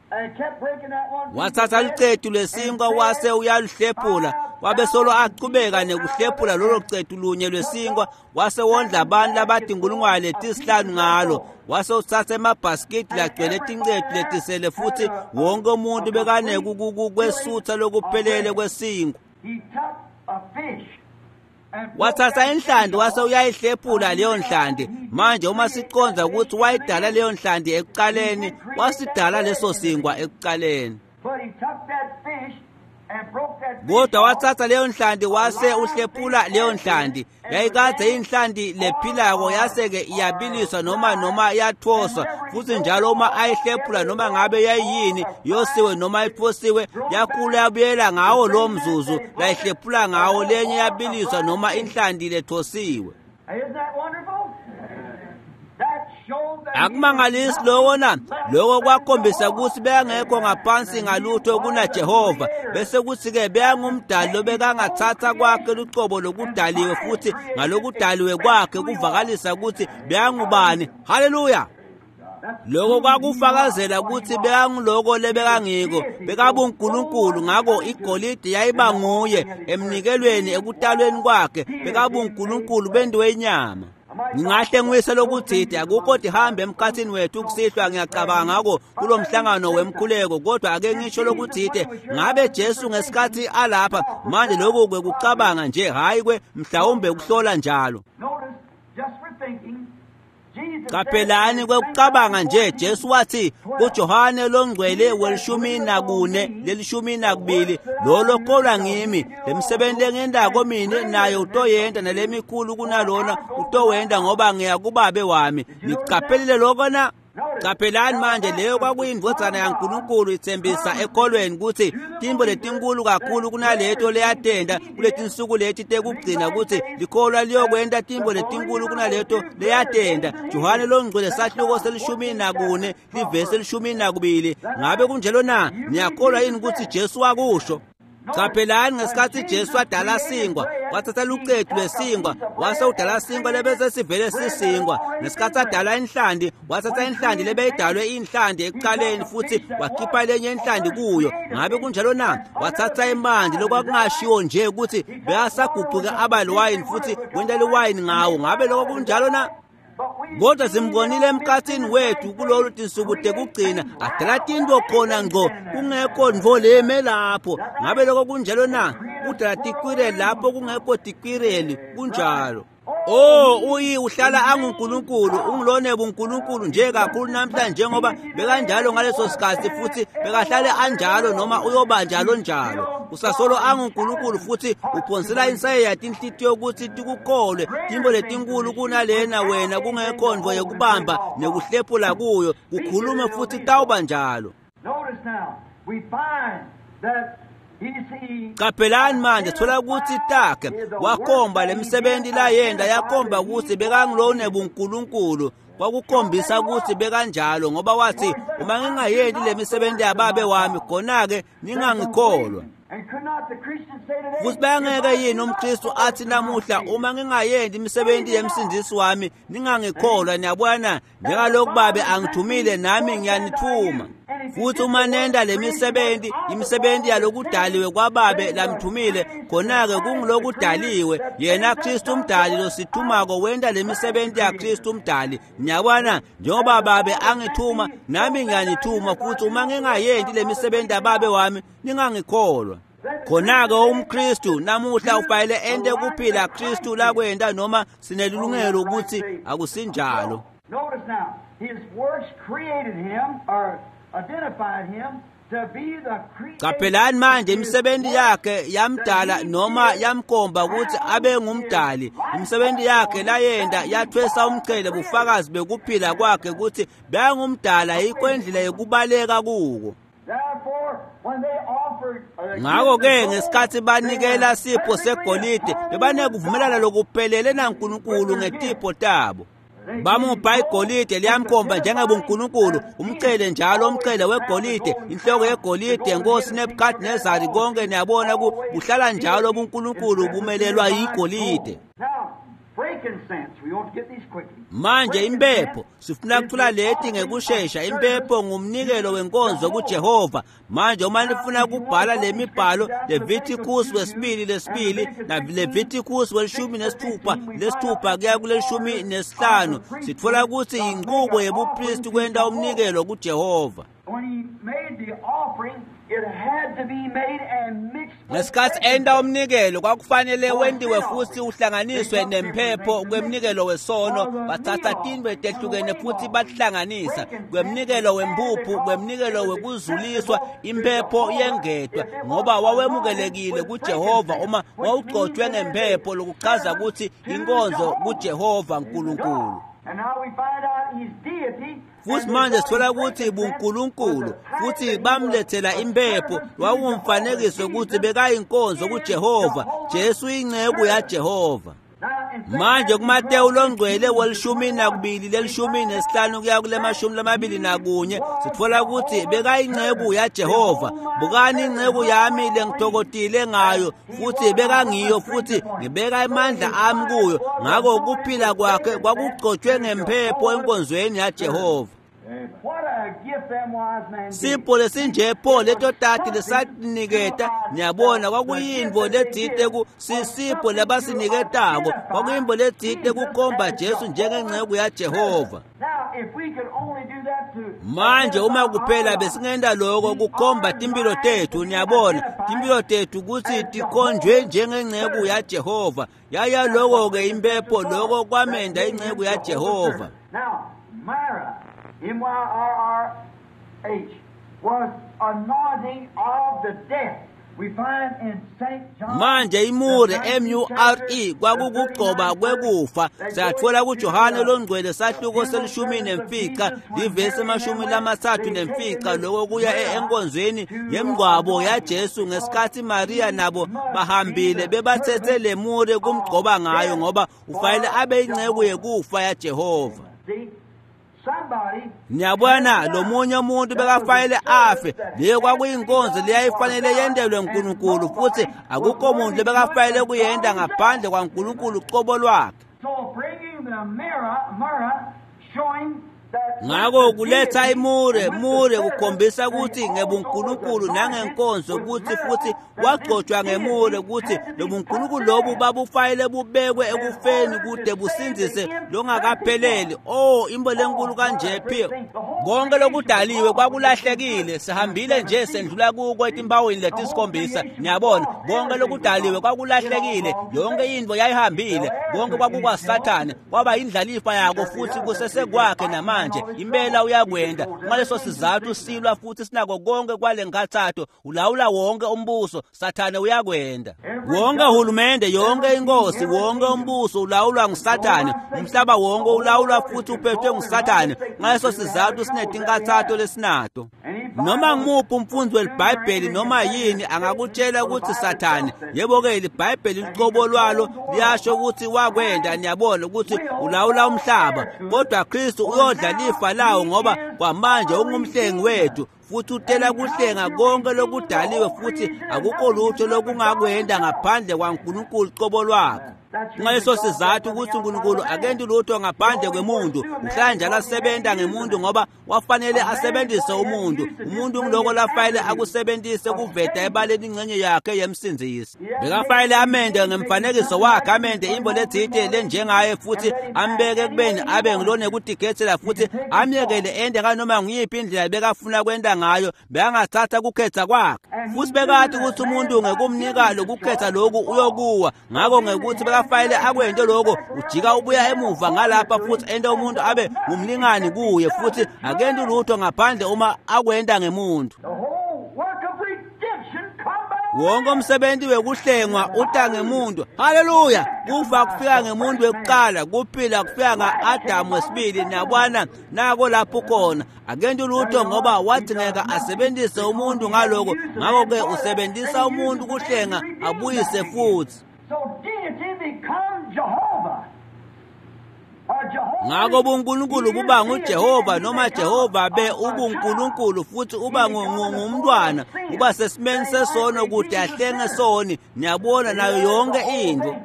and kept breaking that one. Wathatha licetu lesinkwa wase uyaluhlephula, wabe solo achubeka nekuhlephula lolo cetu lunye lwesinkwa, wase wondla abantu labatinkulungwane letisihlanu ngalo, wase uthatha emabhasikidi lagcwele tincetu letisele futhi wonke umuntu bekanekukwesutha lokuphelele kwesinkwa. He took a fish. Wathatha inhlanti wase uyayihlephula leyo nhlanti. Manje uma siconza ukuthi wayidala leyo nhlanti ekuqaleni, wasidala leso sinkwa ekuqaleni. Kodwa wathatha leyo nhlanti wase uhlephula leyo nhlanti. Yayikade inhlanti lephilako yase-ke iyabiliswa noma noma yathoswa, futhi njalo uma ayihlephula noma ngabe yayiyini yosiwe noma ithosiwe, yakhula yabuyela ngawo lo mzuzu layihlephula ngawo, lenye yabiliswa noma inhlanti lethosiwe. Akumangalisi lokho na? Lokho kwakhombisa ukuthi bengekho ngaphansi ngalutho kunaJehova, bese kuthi-ke bengumdali lobekangathatha kwakhe lucobo lokudaliwe futhi ngalokudaliwe kwakhe kuvakalisa ukuthi bengubani. Haleluya! Lokho kwakufakazela ukuthi bekanguloko lebekangiko, bekabuNkulunkulu. Ngakho igolide yayiba nguye emnikelweni ekutalweni kwakhe, bekabuNkulunkulu bentiwe inyama. Ngingahle ngiyise lokuthide akukho tihambe emkhathini wethu kusihlwa, ngiyacabanga ngako kulo mhlangano wemkhuleko, kodwa ake ngisho lokuthide ngabe Jesu ngesikhathi alapha manje, lokhu kwekucabanga nje, hayi kwe mhlawumbe kuhlola njalo. Qaphelani kwekucabanga nje, Jesu wathi kuJohane longcwele welishumi nakune lelishumi nakubili, lo lokholwa ngimi, lemsebenzi lengendako mine naye utoyenda nalemikhulu kunalona utowenda, ngoba ngiya kubabe wami. Niqaphelile lokho na? Qaphelani manje, leyo kwakuyindvodzana yaNkulunkulu ithembisa ekholweni ukuthi timbo letinkulu kakhulu kunaleto leyatenda kuletinsuku leti tekugcina, ukuthi likholwa liyokwenta timbo letinkulu kunaleto leyatenda. Johane longcwele sahluko selishumi nakune livesi elishumi nakubili. Ngabe kunjalo na? Niyakholwa yini ukuthi Jesu wakusho? Qaphelani ngesikhathi Jesu adala sinkwa, wathatha lucetu lwesinkwa wase udala sinkwa lebese sivele sisinkwa. Ngesikhathi adala inhlanti, wathatha inhlanti lebeyidalwe inhlanti ekuqaleni futhi wakhipha lenye inhlanti kuyo. Ngabe kunjalo na? Wathatha imanti lokwakungashiwo nje ukuthi bekasaguquke aba liwayini futhi wenta liwayini ngawo. Ngabe lokho kunjalo na? Kodwa simbonile emkhathini wethu kulolu tinsuku tekugcina adala tinto khona ngco kungekho ntfo leme lapho. Ngabe lokho kunjalo na? Kudala tikwireli lapho kungekho tikwireli. Kunjalo. Oh, uyi uhlala anguNkulunkulu, ungilone buNkulunkulu nje kakhulu namhlanje njengoba bekanjalo ngaleso sikhathi, futhi bekahlale anjalo noma uyoba njalo njalo. Usasolo anguNkulunkulu futhi uphonsela insayeya tinhlitiyo ukuthi tikukholwe tintfo letinkulu kunalena wena kungekho ntfo yekubamba nekuhlephula kuyo, kukhulume futhi kutawuba njalo. Notice now, we find that he Qaphelani manje thola ukuthi takhe wakhomba lemisebenzi layenda yakhomba ukuthi bekangilone buNkulunkulu, kwakukhombisa ukuthi bekanjalo, ngoba wathi uma ngingayendi lemisebenzi yababe wami khona-ke ningangikholwa. And could not the Christians say today, Futhi bayangeke yini umKristu athi namuhla uma ngingayendi imisebenzi yemsindisi wami ningangikholwa? Niyabona, njengalokhu babe angithumile nami ngiyanithuma. Futhi uma nenda lemisebenzi, imisebenzi yalokudaliwe kwababe lamthumile, khona-ke kungilokudaliwe yena Kristu umdali losithumako wenda lemisebenzi yaKristu umdali. Niyabona, njengoba babe angithuma nami ngiyanithuma, futhi uma ngingayendi lemisebenzi yababe wami ningangikholwa. Khona-ke umKristu namuhla ufanele ente kuphila Kristu lakwenda, noma sinelungelo ukuthi akusinjalo. Notice now, his works created him or identified him to be the creator. Qaphelani manje imisebenzi yakhe yamdala noma yamkhomba ukuthi abe ngumdali. Imisebenzi yakhe layenda yathwesa umqhele bufakazi bekuphila kwakhe ukuthi beyangumdala, yikho indlela yokubaleka kuko. Therefore, when they offered uh, Ngakho-ke ngesikhathi banikela sipho segolide bebanekuvumelana lokuphelele naNkulunkulu ngetipho tabo. Bamupha igolide liyamkhomba njengebuNkulunkulu, umqhele njalo umqhele wegolide, inhloko yegolide yenkosi Nebukadnezari, konke niyabona kuhlala njalo ubuNkulunkulu bumelelwa yigolide. Now, frankincense, we want to get these quickly. Manje impepho sifuna kuthola leti ngekushesha. Impepho ngumnikelo wenkonzo kuJehova. Manje uma nifuna kubhala lemibhalo, Leviticus wesibili lesibili na Leviticus welishumi nesithupha lesithupha kuya kulelishumi nesihlanu, sitfola ukuthi inqubo yebupristi kwenta umnikelo kuJehova. When he made the offering, it had to be made and mixed with Ngesikhathi enta umnikelo kwakufanele wentiwe futhi uhlanganiswe nempepho kwemnikelo wesono. Bathatha tintfo letehlukene futhi batihlanganisa kwemnikelo wempuphu, kwemnikelo wekuzuliswa, impepho yengetwa, ngoba wawemukelekile kuJehova uma wawugcotshwe ngempepho, lokuchaza ukuthi inkonzo kuJehova uNkulunkulu. And now we find out his deity. Futhi manje sithola ukuthi buNkulunkulu futhi bamlethela impepho, wawungumfanekiso ukuthi bekayinkonzo kuJehova. Jesu inceku yaJehova. Manje kuMateyu longcwele welishumi nakubili lelishumi nesihlanu kuya kule mashumi lamabili nakunye sitfola ukuthi bekayinceku yaJehova. Bukani inceku yami lengitokotile ngayo, futhi bekangiyo, futhi ngibeka amandla ami kuyo. Ngakho kuphila kwakhe kwakugcotshwe ngempepho enkonzweni yaJehova. What a gift them wise men gave. Sipho lesinje pho leto tati lesatiniketa, niyabona kwakuyintfo letsite ku sisipho labasiniketako, kwakuyintfo letsite kukhomba Jesu njengenceku yaJehova. Now, if we could only do that to Manje uma kuphela besingenta lokho kukhomba timpilo tethu, niyabona timpilo tethu kutsi tikhonjwe njengenceku yaJehova. Yaya loko-ke impepho, loko kwamenda inceku yaJehova. Now, Myrrh, M Y R R H, was anointing of the death. We find in Saint John. Manje imure M U R E kwakukugcoba kwekufa. Siyatfola kuJohane longcwele sahluko selishumi nemfica livesi emashumi lamathathu nemfica, loko kuya enkonzweni yemngcwabo yaJesu ngesikhathi Maria nabo bahambile bebathethe lemure kumgcoba ngayo, ngoba ufanele abe inceku yekufa yaJehova. See, somebody Niyabona lo munye umuntu bekafanele afe, leyo kwakuyinkonzo leyayifanele yentelwe uNkulunkulu, futhi akukho muntu lebekafanele kuyenta ngaphandle kwaNkulunkulu qobo lwakhe. So bringing the myrrh, myrrh showing Ngako kuletha imure mure kukhombisa ukuthi ngebuNkulunkulu nangenkonzo ukuthi futhi wagcotshwa ngemure ukuthi lobuNkulunkulu lobu babufayile bubekwe ekufeni kude busindzise longakapheleli. Oh, imbo lenkulu kanje phi. Konke lokudaliwe kwakulahlekile, sihambile nje sendlula kuko etimbawini letisikhombisa. Niyabona, konke lokudaliwe kwakulahlekile, yonke into yayihambile, konke kwakukwaSathane, kwaba indlalifa yako futhi kusesekwakhe namanje. Impela uyakwenda. Ngaleso sizathu silwa futhi sinako konke kwale nkathatho, ulawula wonke umbuso, Sathane uyakwenda. Wonke uhulumende, yonke inkosi, wonke umbuso ulawulwa nguSathane. Umhlaba wonke ulawulwa futhi uphethwe nguSathane. Ngaleso sizathu sinetinkathatho lesinato. Noma ngimuphi umfundi weliBhayibheli noma yini angakutshela ukuthi Sathane, yebo-ke iBhayibheli lucobo lwalo liyasho ukuthi wakwenda, niyabona ukuthi ulawula umhlaba, kodwa Kristu uyodla lifa lawo ngoba kwamanje ungumhlengi wethu futhi utela kuhlenga konke lokudaliwe futhi akukho lutho lokungakwenda ngaphandle kwaNkulunkulu cobo lwakhe. Ngaleso sizathu ukuthi uNkulunkulu akenti lutho ngaphandle kwemuntu, uhlala njalo asebenza ngemuntu ngoba wafanele asebenzise umuntu. Umuntu ngiloko lafayele akusebenzise kuveta ebaleni ingxenye yakhe yemsindzisi. Bekafayele amende ngemfanekiso wakhe, amende imbo letsite lenjengaye futhi ambeke ekubeni abe ngilonekutigetsela futhi amyekele ende nganoma nguyiphi indlela bekafuna kwenta ngayo, bekangathatha kukhetha kwakhe. Futhi bekathi ukuthi umuntu ngekumnika lokukhetha lokhu uyokuwa, ngakho ngekuthi bekafayele akwente lokho ujika ubuya emuva ngalapha futhi ente umuntu abe ngumlingani kuye futhi akenti lutho ngaphandle uma akwenta ngemuntu. Wonke umsebenzi wekuhlengwa uta ngemuntu. Haleluya! Kufa kufika ngemuntu wekuqala, kuphila kufika nga-Adamu wesibili. Niyabona nako lapho khona akenti lutho ngoba wadingeka asebenzise umuntu ngaloko, ngakho-ke usebenzisa umuntu kuhlenga abuyise futhi. So deity becomes Jehovah. Ngako buNkulunkulu buba nguJehova noma Jehova be ubuNkulunkulu futhi uba ngumntwana, uba sesimeni sesono kude ahlenge soni. Niyabona nayo yonke into.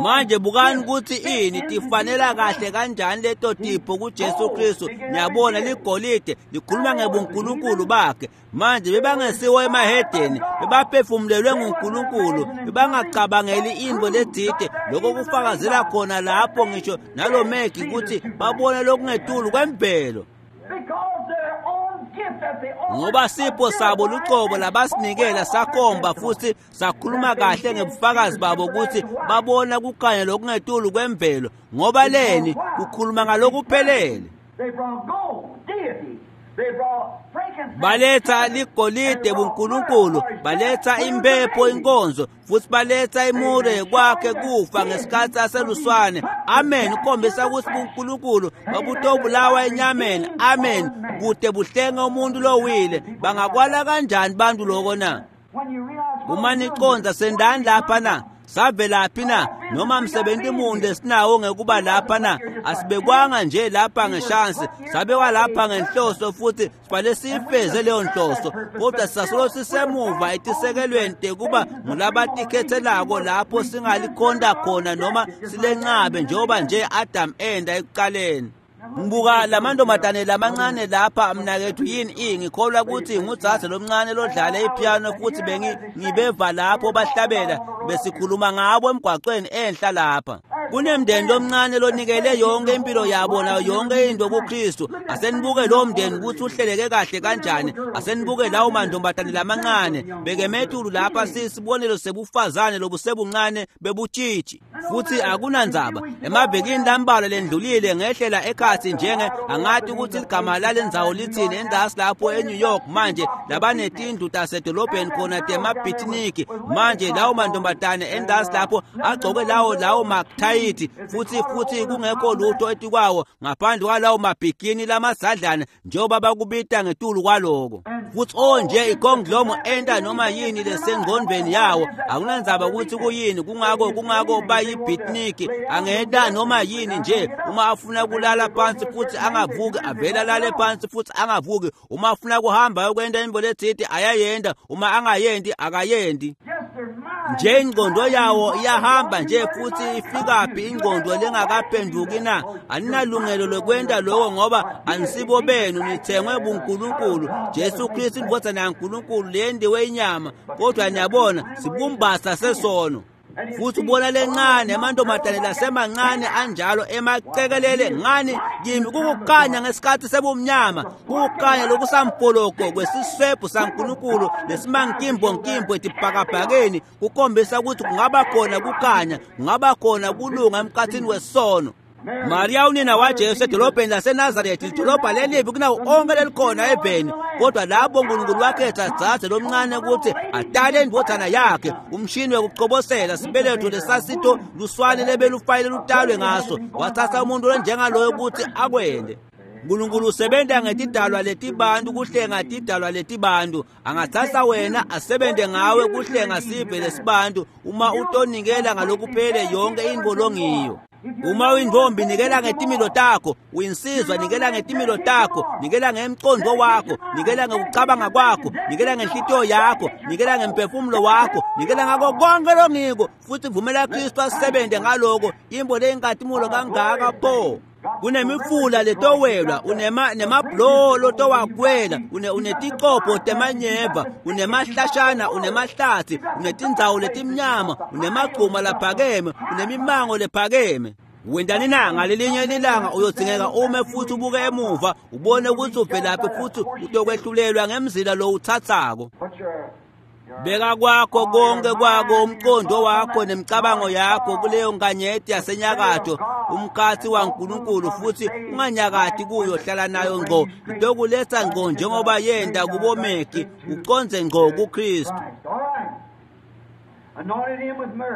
Manje bukani ukuthi ini tifanela kahle kanjani leto tipho kuJesu Kristu. Niyabona ligolide likhuluma ngebuNkulunkulu bakhe. Manje bebangesiwo emahedeni, bebaphefumulelwe nguNkulunkulu, bebangacabangeli into letsite. Lokho kufakazela khona lapho ngisho nalo Megi ukuthi babone lokungetulu kwemvelo. Ngoba sipho sabo lucobo labasinikela sakhomba futhi sakhuluma kahle ngebufakazi babo ukuthi babona kukhanya lokungetulu kwemvelo, ngoba leni kukhuluma ngalokuphelele. Baletha ligolide buNkulunkulu, baletha impepho inkonzo, futhi baletha imure kwakhe kufa ngesikhathi aseluswane. Amen. Ukhombisa ukuthi buNkulunkulu babutobulawa enyameni. Amen. Kude buhlenge umuntu lowile. Bangakwala kanjani bantu lokho na? Uma niconza sendani lapha na? Savelaphi na? Noma msebenzi munye esinawo ngekuba lapha na? Asibekwanga nje lapha ngeshansi, sabekwa lapha ngenhloso futhi sibale siyifeze leyo nhloso, kodwa sisasolo sisemuva etisekelweni tekuba ngulabatikhethelako lapho singalikhonda khona noma silencabe njengoba nje Adam enda ekuqaleni. Ngibuka lamantombazane lamancane lapha mnakethu yini i ngikholwa ukuthi ngudzadze lomncane lodlala ipiano futhi bengi ngibeva lapho bahlabela besikhuluma ngabo emgwaqweni enhla lapha. Kunemndeni lomncane lonikele yonke impilo yabo nayo yonke into kuKristu. Asenibuke lo mndeni ukuthi uhleleke kahle kanjani. Asenibuke lawo mantombazane lamancane bekemethulu lapha sisibonelo sebufazane lobusebuncane bebutshitshi. Futhi akunandzaba emavikini lambalwa lendlulile ngehlela ekhathi njenge angathi ukuthi ligama lalendzawo lithini endasi lapho eNew York manje labanetindlu tasedolobheni khona temabhithiniki. Manje lawo mantombazane endasi lapho agcoke lawo lawo makuthayithi futhi futhi kungekho lutho etikwawo ngaphandle kwalawo mabhikini lamasadlana njengoba bakubita ngetulu kwaloko. Futhi onje ikonglomo enta noma yini lesengqondweni yawo akunandzaba ukuthi kuyini, kungako kungako bayibhithiniki angenta noma yini nje. Uma afuna kulala phansi futhi angavuki avela alale phansi futhi angavuki. Uma afuna kuhamba ukwenta into letsite ayayenda, uma angayendi akayendi. Nje ingqondo yawo iyahamba nje futhi ifikaphi ingqondo lengakaphenduki na? Aninalungelo lokwenta lokho ngoba anisibo benu, nithengwe buNkulunkulu. Jesu Kristu indvodzana yaNkulunkulu leyendiwe inyama, kodwa niyabona sibumbasa sesono. Futhi ubona lencane amantombazane lasemancane anjalo emacekelele ngani kimi kukukhanya ngesikhathi sebumnyama, kukukhanya lokusampoloko kwesiswebhu saNkulunkulu lesimankimbonkimbwe etibhakabhakeni, kukhombisa ukuthi kungaba khona kukhanya, kungaba khona kulunga emkhathini wesono. Maria unina waJesu edolobheni laseNazaretha, idolobha lelibi kunawo onke lelikhona eveni, kodwa lapho uNkulunkulu wakhetha dzadze lomncane ukuthi atale indvodzana yakhe, umshini wekucobosela sibeletho lesasito luswane lebelufayile lutalwe ngaso, wathatha umuntu lonjengaloyo ukuthi akwende. uNkulunkulu usebenta ngetidalwa letibantu kuhlenga tidalwa letibantu. Angathatha wena asebente ngawe kuhlenga sive lesibantu uma utonikela ngalokuphele yonke intfo longiyo. Uma uyintombi nikela ngetimilo takho, uyinsizwa nikela ngetimilo takho, nikela ngemqondo wakho, nikela ngekucabanga kwakho, nikela ngenhlitiyo yakho, nikela ngemphefumulo wakho, nikela ngako konke longiko, futhi vumela Kristu asebente ngaloko. Imbo leyinkatimulo kangaka pho! Kunemifula letowelwa, unema nemabhuloho lotowakwela, une uneticopo temanyeva, unemahlashana, unemahlathi, unetindzawo letimnyama, unemagcuma laphakeme, unemimango lephakeme. Wendani na ngalelinye ilanga uyodzingeka ume futhi ubuke emuva ubone ukuthi uvelaphi futhi utokwehlulelwa ngemzila lo uthathako. Beka kwakho konke kwako umqondo wakho nemicabango yakho kuleyo nkanyeti yasenyakatho, umkhathi waNkulunkulu, futhi unganyakati kuyo, hlala nayo ngqo, itokuletha ngqo njengoba yenda kubomeki, uconze ngqo kuKristu.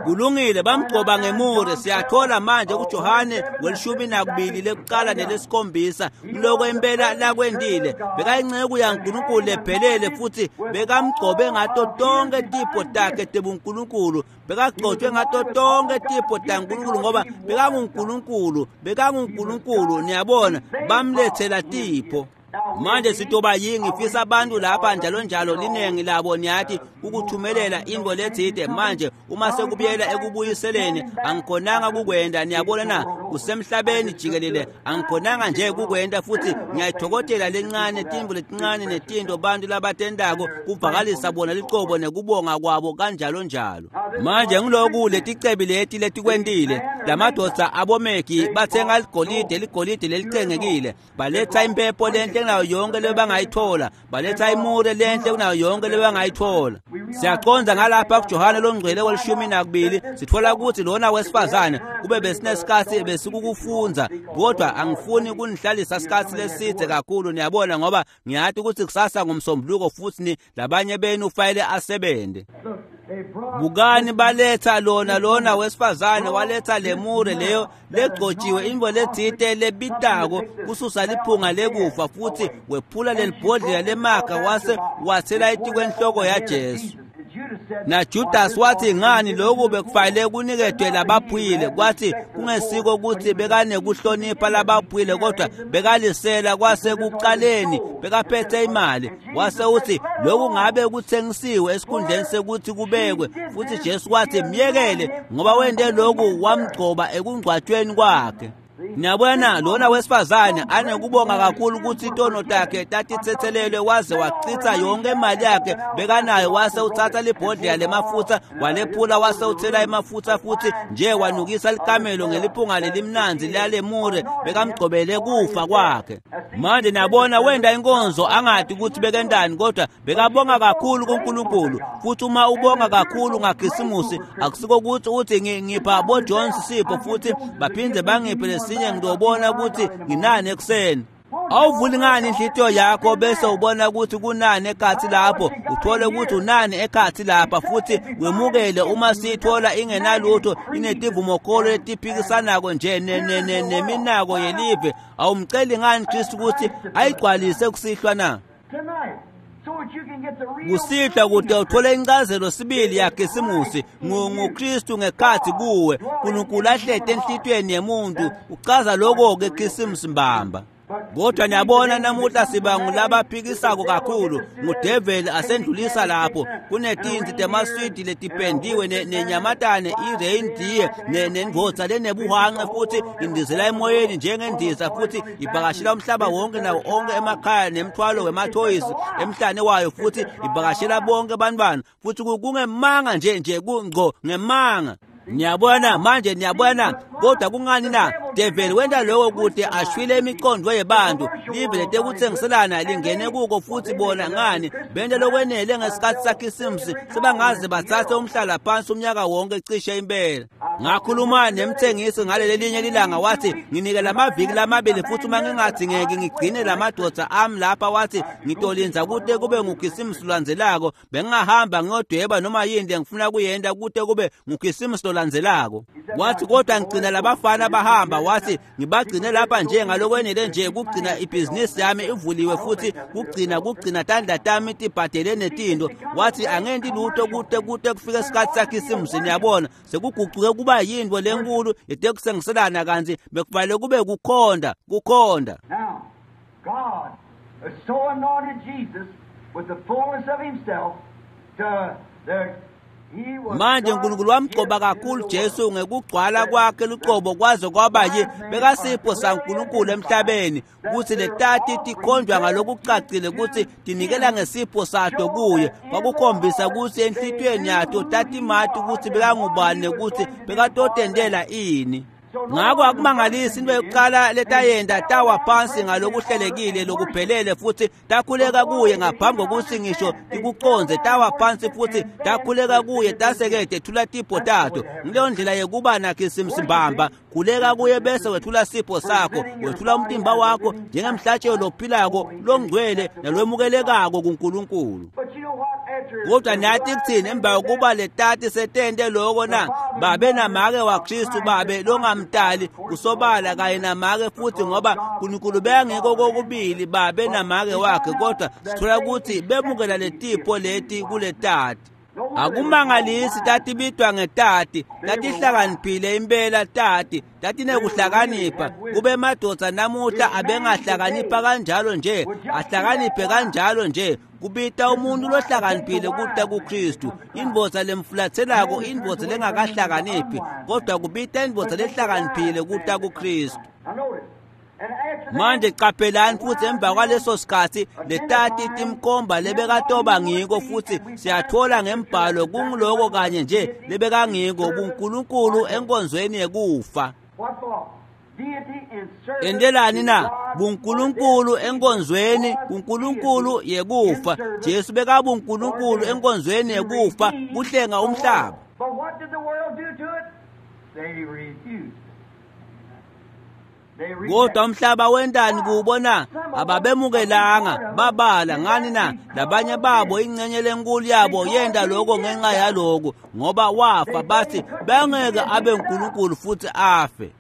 Kulungile, bamgcoba ngemure. Siyathola manje kuJohane welishumi nakubili lekuqala nelesikhombisa kuloko impela lakwendile. Bekayinceku yaNkulunkulu lephelele futhi bekamgcobe ngato tonke tipho takhe tebuNkulunkulu, bekagcotshwe ngato tonke tipho taNkulunkulu ngoba bekanguNkulunkulu, bekanguNkulunkulu. Niyabona, bamlethela tipho. Manje sitoba yingi ngifisa abantu lapha njalo njalo linengi labo niyathi ukuthumelela intfo letsite. Manje uma sekubuyela ekubuyiseleni angikhonanga kukwenda, niyabona na, kusemhlabeni jikelele angikhonanga nje kukwenda, futhi ngiyayithokotela lencane tintfo letincane netinto bantu labatentako kuvakalisa bona licobo nekubonga kwabo kanjalo njalo. Manje ngiloku leticebi leti letikwentile, lamadvodza abomeki bathenga ligolide, ligolide lelicengekile, baletha impepho lenhle kunayo yonke lebangayithola, baletha imure lenhle kunayo yonke lebangayithola. Siyaconza ngalapha kuJohane longcwele welishumi nakubili, sithola ukuthi lona wesifazane kube besinesikhathi besikukufunza, kodwa angifuni kunihlalisa isikhathi leside kakhulu, niyabona, ngoba ngiyathi ukuthi kusasa ngomsombuluko futhi ni labanye benu ufayele asebende. Bukani, baletha lona lona wesifazane waletha lemure leyo legcotshiwe, intfo letsite lebitako kususa liphunga lekufa, futhi wephula lelibhodlela lemakha wase wathela etikwenhloko yaJesu. NaJudas wathi, ngani lokhu bekufanele kuniketwe labaphuyile? Kwathi kungesiko ukuthi bekanekuhlonipha labaphuyile, kodwa bekalisela kwasekuqaleni, bekaphethe imali. Wase uthi lokhu ngabe kuthengisiwe esikhundleni sekuthi kubekwe. Futhi Jesu wathi myekele, ngoba wente lokhu wamgcoba ekungcwatshweni kwakhe. Niyabona, lona wesifazane anekubonga kakhulu ukuthi itono takhe tatithethelelwe, waze wachitha yonke imali yakhe bekanayo, wase uthatha libhodlela lemafutha walephula, wase uthela emafutha futhi nje wanukisa likamelo ngeliphunga lelimnandzi lalemure bekamgcobele kufa kwakhe. Manje niyabona, wenda inkonzo angadi ukuthi bekendani, kodwa bekabonga kakhulu kuNkulunkulu. Futhi uma ubonga kakhulu ngaKhisimusi, akusiko ukuthi uthi ngipha bo Jones sipho futhi baphinde bangiphe lesinye ngidobona ukuthi nginani ekuseni. Awuvuli ngani inhlitiyo yakho bese ubona ukuthi kunani ekhathi lapho, uthole ukuthi unani ekhathi lapha, futhi wemukele uma siyithola ingenalutho, inetivumokholo letiphikisanako nje neminako yelive. Awumceli ngani Kristu ukuthi ayigcwalise kusihlwa na? Kusihlwa kude uthole incazelo sibili yaKhisimusi nguKristu ngekhathi kuwe, uNkulunkulu ahlete enhlitiyweni yemuntu. Uchaza lokho ke Khisimusi mbamba. Kodwa niyabona namuhla siba ngulabaphikisako kakhulu, ngudeveli asendlulisa lapho. Kunetinti temaswidi letipendiwe nenyamatane i-reindeer nendvodza lenebuhanqe futhi indizela emoyeni njengendiza futhi ibhakashela umhlaba wonke nawo onke emakhaya nemthwalo wemathoyisi emhlane wayo futhi ibhakashela bonke abantwana futhi kungemanga nje nje kungco ngemanga. Niyabona manje, niyabona. Kodwa kungani na? Develi wenta lokho kude ashwile imiqondo yebantu, live letekuthengiselana lingene kuko futhi bona ngani bente lokwenele ngesikhathi saKhisimusi sebangaze bathathe umhlala phansi umnyaka wonke cishe impela. Ngakhuluma nemthengisi ngaleli linye lilanga, wathi nginike lamaviki lamabili futhi uma ngingadingeki ngigcine lamadoda ami lapha, wathi ngitolinza kude kube nguKhisimusi lolandzelako, bengingahamba ngiyodweba noma yini lengifuna kuyenta kude kube nguKhisimusi lolandzelako. Wathi kodwa ngigcina labafana bahamba, wathi ngibagcine lapha nje ngalokwenele nje kugcina ibhizinisi yami ivuliwe futhi kugcina kugcina tandla tami tibhadele netinto. Wathi angenti lutho kude kude kufike isikhathi saKhisimusi. Niyabona sekuguquke kuba yinto lenkulu yetekusengiselana, kanti bekufanele kube kukhonda kukhonda. Now God so anointed Jesus with the fullness of himself to the Manje uNkulunkulu wamgcoba kakhulu Jesu ngekugcwala kwakhe lucobo kwaze kwaba yi bekasipho saNkulunkulu emhlabeni, kuthi letati tikhonjwa ngalokucacile kutsi tinikela ngesipho sato kuye. Kwakukhombisa kutsi enhlitiyweni yato tatimati kutsi bekangubani nekutsi bekatotentela ini. Ngako akumangalisi into yokuqala letayenta tawa phansi ngalokuhlelekile lokuphelele futhi takhuleka kuye ngaphambi kokuthi ngisho tikuconze. Tawa phansi futhi takhuleka kuye taseke tethula tipho tato. Ngileyo ndlela yekuba naKhisimusi mbamba, khuleka kuye bese wethula sipho sakho, wethula umtimba wakho njengemhlatshelo lophilako longcwele nalwemukelekako kuNkulunkulu. Kodwa nathi kuthini emva kokuba letati setente loko na? Babe namake waKristu, babe longamtali kusobala kanye namake futhi, ngoba uNkulunkulu bekangekho kokubili babe namake wakhe, kodwa sithola ukuthi bemukela letipho leti kuletati. Akumangalisi tatibitwa ngetati, tatihlakaniphile impela tati, tatinekuhlakanipha. Kube madoda namuhla abengahlakanipha kanjalo nje, ahlakaniphe kanjalo nje. Kubita umuntu lohlakaniphile kuta kuKristu, indvodza lemfulatselako, indvodza lengakahlakaniphi, kodwa kubita indvodza lehlakaniphile kuta kuKristu. Manje qaphelani futhi emva kwaleso sikhathi letati timkhomba lebekatoba ngiko, futhi siyathola ngembhalo kungiloko kanye nje lebekangiko buNkulunkulu enkonzweni yekufa. Entelani na? BuNkulunkulu enkonzweni kuNkulunkulu yekufa. Jesu bekabuNkulunkulu enkonzweni yekufa kuhlenga umhlaba. But what did the world do to it? They refused. Kodwa umhlaba wentani kuwubona? Ababemukelanga, babala ngani na? Labanye babo ingcenye lenkulu yabo yenta lokho ngenxa yaloko, ngoba wafa bathi bengeke abe uNkulunkulu futhi afe.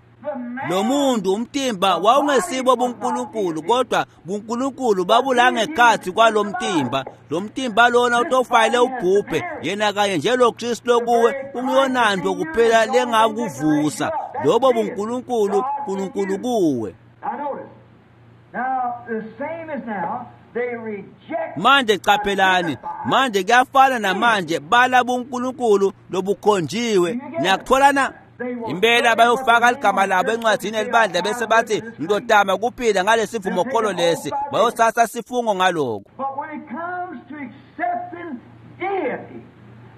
Lo muntu umtimba wawungesibo buNkulunkulu, kodwa buNkulunkulu babulangekhathi kwalomtimba. Lo mtimba lona utofayile ubhubhe, yena kanye nje lo Kristu lokuwe ungiyonanto kuphela lengakuvusa. Lobo buNkulunkulu, uNkulunkulu kuwe. Manje qaphelani, manje kuyafana namanje, bala buNkulunkulu lobukhonjiwe. Niyakuthola na? Impela bayofaka ligama labo encwadini elibandla bese bathi ngidodama kuphila ngalesivumokholo lesi, bayothatha sifungo ngaloko. But when it comes to accepting deity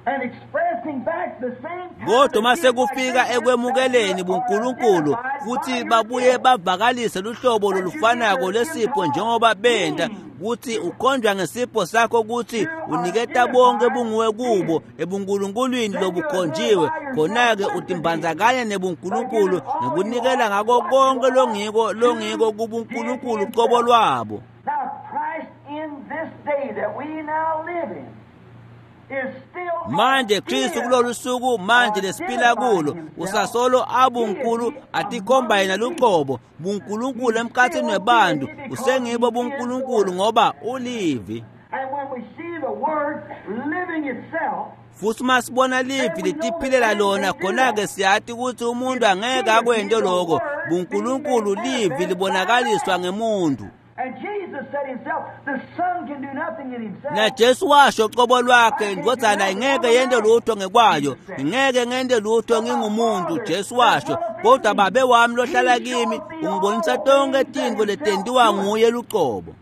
and expressing back the same Kodwa mase kufika ekwemukeleni buNkulunkulu futhi babuye bavakalise luhlobo lolufanako lesipho njengoba benta, kuthi ukhonjwa ngesipho sakho kuthi uniketa bonke bunguwe kubo ebuNkulunkulwini lobukhonjiwe, khona-ke utimbandzakanya nebuNkulunkulu ngekunikela ngako konke longiko longiko kubuNkulunkulu qobo lwabo. Now Christ in this day that we now live in is still Manje Kristu kulolu suku manje lesiphila kulo usasolo abuNkulu atikhomba yena luqobo buNkulunkulu emkhathini webantu, usengibo buNkulunkulu ngoba ulivi. And when we see the word living itself, Futhi uma sibona livi litiphilela lona, khona-ke siyati ukuthi umuntu angeke akwente lokho. BuNkulunkulu livi libonakaliswa ngemuntu. Na Jesu washo qobo lwakhe, indvodzana ingeke yente lutho ngekwayo, ingeke ngente lutho ngingumuntu, Jesu washo, kodwa Babe wami lohlala kimi ungibonisa tonke tintfo letentiwa nguye lucobo.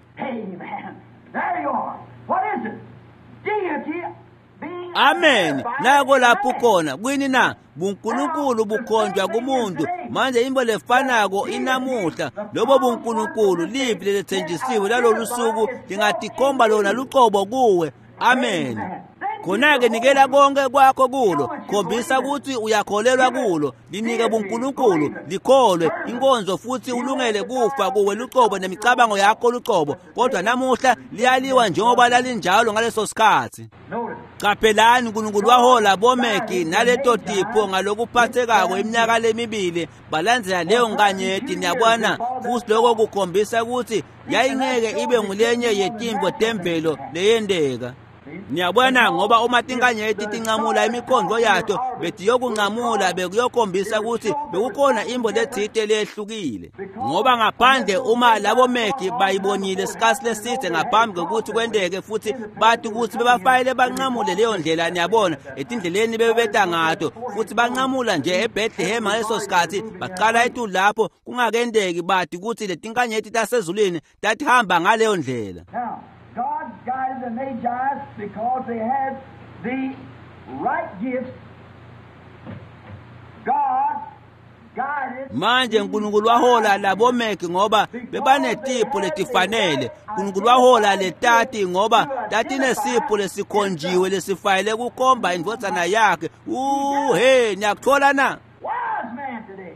Amen. Nako lapho khona kwini na buNkulunkulu bukhonjwa kumuntu. Manje into lefanako inamuhla, lobo buNkulunkulu livi lelethenjisiwe lalolu suku lingatikhomba lona lucobo kuwe. Amen. Khona-ke nikela konke kwakho kulo, khombisa ukuthi uyakholelwa kulo, linike buNkulunkulu, likholwe inkonzo futhi ulungele kufa kuwe lucobo nemicabango yakho lucobo. Kodwa namuhla liyaliwa njengoba lalinjalo ngaleso sikhathi. Qaphelani, uNkulunkulu wahola bomegi naleto tipho ngalokuphathekako iminyaka lemibili balandzela leyo nkanyeti. Niyabona, futhi lokho kukhombisa ukuthi yayingeke ibe ngulenye yetimbo temvelo leyenteka. Niyabona, ngoba uma tinkanyeti tincamula imikhondvo yato betiyokuncamula bekuyokhombisa ukuthi bekukhona imbo letsite lehlukile. Ngoba ngaphandle uma labo megi bayibonile isikhathi leside ngaphambi kokuthi kwenteke futhi bathi ukuthi bebafayele bancamule leyo ndlela, niyabona, etindleleni bebeta ngato futhi bancamula nje eBethlehem ngaleso sikhathi baqala etulu lapho kungakenteki, bathi ukuthi letinkanyeti tasezulwini tatihamba ngaleyo ndlela. God guided the Magi because they had the right gifts. God guided. Manje uNkulunkulu wahola labo megi ngoba bebanetipho letifanele. uNkulunkulu wahola letati ngoba tatinesipho lesikhonjiwe lesifayele kukhomba indvodzana yakhe. Uh hey, niyakuthola na? Wise man today,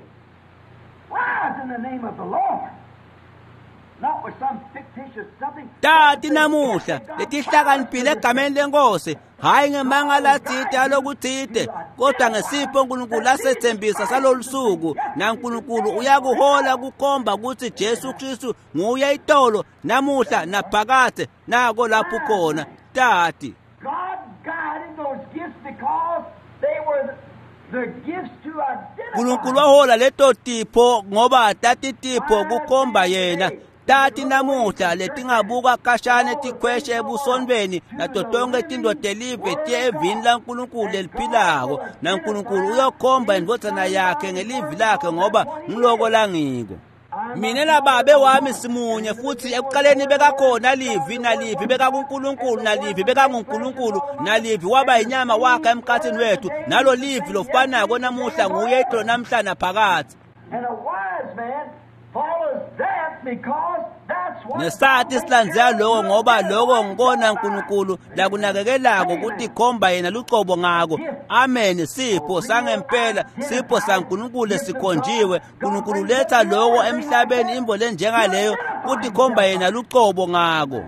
rise in the name of the Lord. Tati namuhla letihlakaniphile egameni lenkosi, hayi ngemanga latsite alokutsite, kodwa ngesipho uNkulunkulu lasethembisa salolu suku. NaNkulunkulu uyakuhola kukhomba ukuthi Jesu Kristu nguye itolo namuhla naphakadze. Nako lapho khona tati. God guided those gifts because they were the gifts to identify. uNkulunkulu wahola leto tipho ngoba tatitipho kukhomba yena. Tati namuhla letingabuka kashane tikhweshe ebusonweni nato tonke tintfo telive tiye evini laNkulunkulu leliphilako, naNkulunkulu uyokhomba indvodzana yakhe ngelivi lakhe ngoba ngiloko langiko. Mina nababe wami simunye, futhi ekuqaleni bekakhona livi, nalivi bekakuNkulunkulu, nalivi bekanguNkulunkulu, nalivi waba inyama wakha emkhathini wethu. Nalo livi lofanako namuhla nguye itolo namhla naphakadze. And a wise man follows that because that's what Nesati silandzela loko ngoba loko ngikona uNkulunkulu lakunakekelako kutikhomba yena lucobo ngako. Amen. Sipho sangempela, sipho saNkulunkulu lesikhonjiwe. uNkulunkulu letha loko emhlabeni, imbo lenjengaleyo kutikhomba yena lucobo ngako.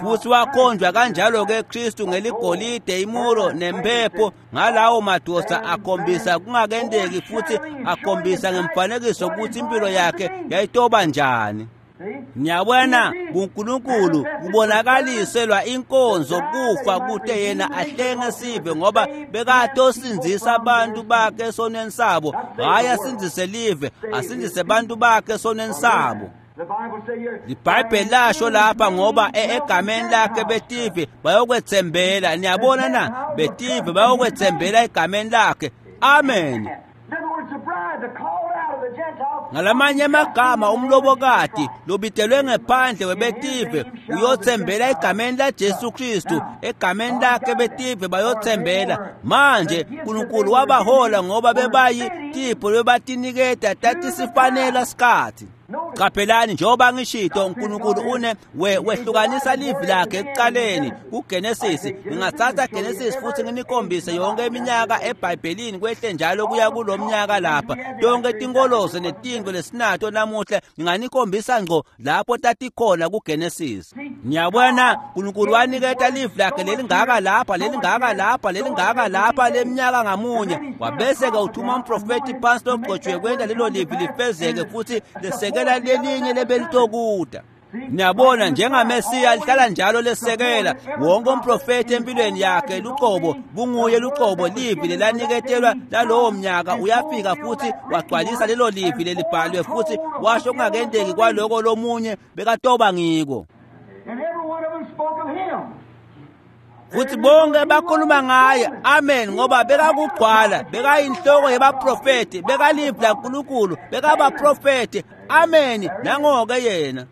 Futhi wakhonjwa kanjalo ke Kristu ngeligolide, imuro nempepho. Ngalawo madoda akhombisa kungakenteki futhi akhombisa ngemfanekiso ukuthi impilo yakhe yayitoba njani. Niyabona, buNkulunkulu kubonakaliselwa inkonzo kufa kute yena ahlenge sive, ngoba bekatosindzisa abantu bakhe esonweni sabo. Hhayi asindzise live, asindzise abantu bakhe esonweni sabo. LiBhayibheli lasho lapha ngoba egameni lakhe betive bayokwethembela. Niyabona na? Betive bayokwethembela egameni lakhe. Amen. Ngalamanye amagama, umlobokati lobitelwe ngephandle webetive uyothembela egameni laJesu Kristu. Egameni lakhe betive bayothembela. Manje uNkulunkulu wabahola ngoba bebayi tipho bebatiniketa tatisifanela sikhathi. Qaphelani, njengoba ngishito, uNkulunkulu une we wehlukanisa livi lakhe ekuqaleni kuGenesis. Ngingathatha Genesis futhi nginikhombise yonke iminyaka eBhayibhelini kwehle njalo kuya kulomnyaka lapha. Tonke tinkolozo netintfo lesinato namuhla nginganikhombisa ngco lapho tatikhona kuGenesis. Niyabona, uNkulunkulu waniketa livi lakhe lelingaka lapha, lelingaka lapha, lelingaka lapha leminyaka ngamunye. Wabese ke uthuma umprofeti phansi logcotshwe kwenta lelo livi lifezeke futhi lesekela lelinye lebelitokuta. Niyabona njengaMesiya lihlala njalo lesekela wonke umprofeti empilweni yakhe luqobo bunguye luqobo livi lelaniketelwa lalowo mnyaka uyafika futhi wagcwalisa lelo livi lelibhalwe futhi washo kungakendeki kwaloko lomunye bekatoba ngiko. And every one of them spoke of him. Futhi bonke bakhuluma ngaye, amen, ngoba bekakugcwala, bekayinhloko yebaprofeti, bekalivi laNkulunkulu, bekabaprofeti, amen, nangoke yena.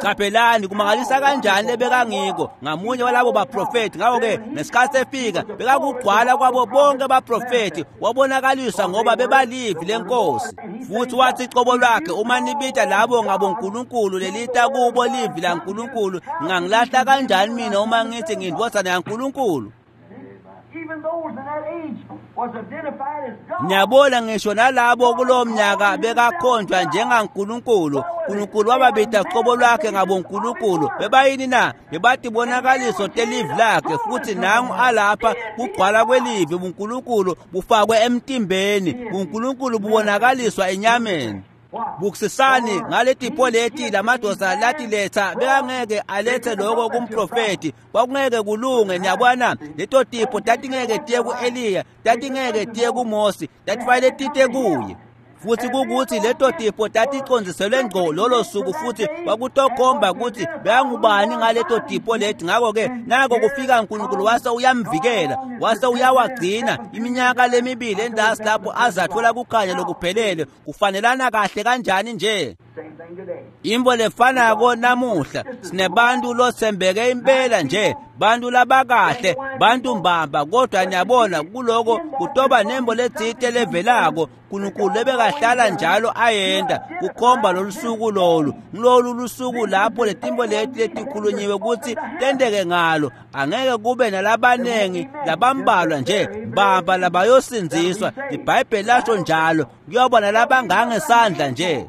Qaphelani kumangalisa kanjani lebekangiko ngamunye walabo baprofeti. Ngakho-ke ngesikhathi efika bekakugcwala kwabo bonke baprofeti, wabonakaliswa ngoba bebalivi lenkosi. Futhi wathi cobo lwakhe, uma nibita labo ngabonkulunkulu lelita kubo livi laNkulunkulu, ngingangilahla kanjani mina uma ngithi ngiyindvodzana yaNkulunkulu? Even those in that age was identified as God. Niyabona ngisho nalabo kulowo mnyaka bekakhonjwa njengaNkulunkulu. Nkulunkulu wababita qobo lwakhe ngabonkulunkulu. Bebayini na? Bebatibonakaliso telivi lakhe, futhi nangu alapha kugcwala kwelivi buNkulunkulu bufakwe emtimbeni, buNkulunkulu bubonakaliswa enyameni. Bukusisani ngaletipho leti lamadoda latiletha bekangeke alethe lokho kumprofeti, kwakungeke kulunge. Niyabona leto tipho tatingeke tiye ku-Eliya, tatingeke tiye kuMose, tatifanele tite kuye. Futhi kukuthi leto tipho taticondziselwe ngco lolo suku, futhi kwakutokhomba ukuthi bekangubani ngaleto tipho leti. Ngakho-ke nako kufika uNkulunkulu wase uyamvikela, wase uyawagcina iminyaka lemibili endasi lapho azathola kukhanya lokuphelele. Kufanelana kahle kanjani nje Same thing today. Imvo lefanako namuhla, sinebantu lothembeke impela nje, bantu labakahle, bantu mbamba, kodwa niyabona kuloko kutoba nembo letsite levelako uNkulunkulu lebekahlala njalo ayenda kukhomba lolu suku lolu. Ngilolu lusuku lapho letimbo leti letikhulunyiwe kutsi tenteke ngalo. Angeke kube nalabanengi, labambalwa nje mbamba labayosindziswa. IBhayibheli lasho njalo, kuyoba nalabangangesandla nje.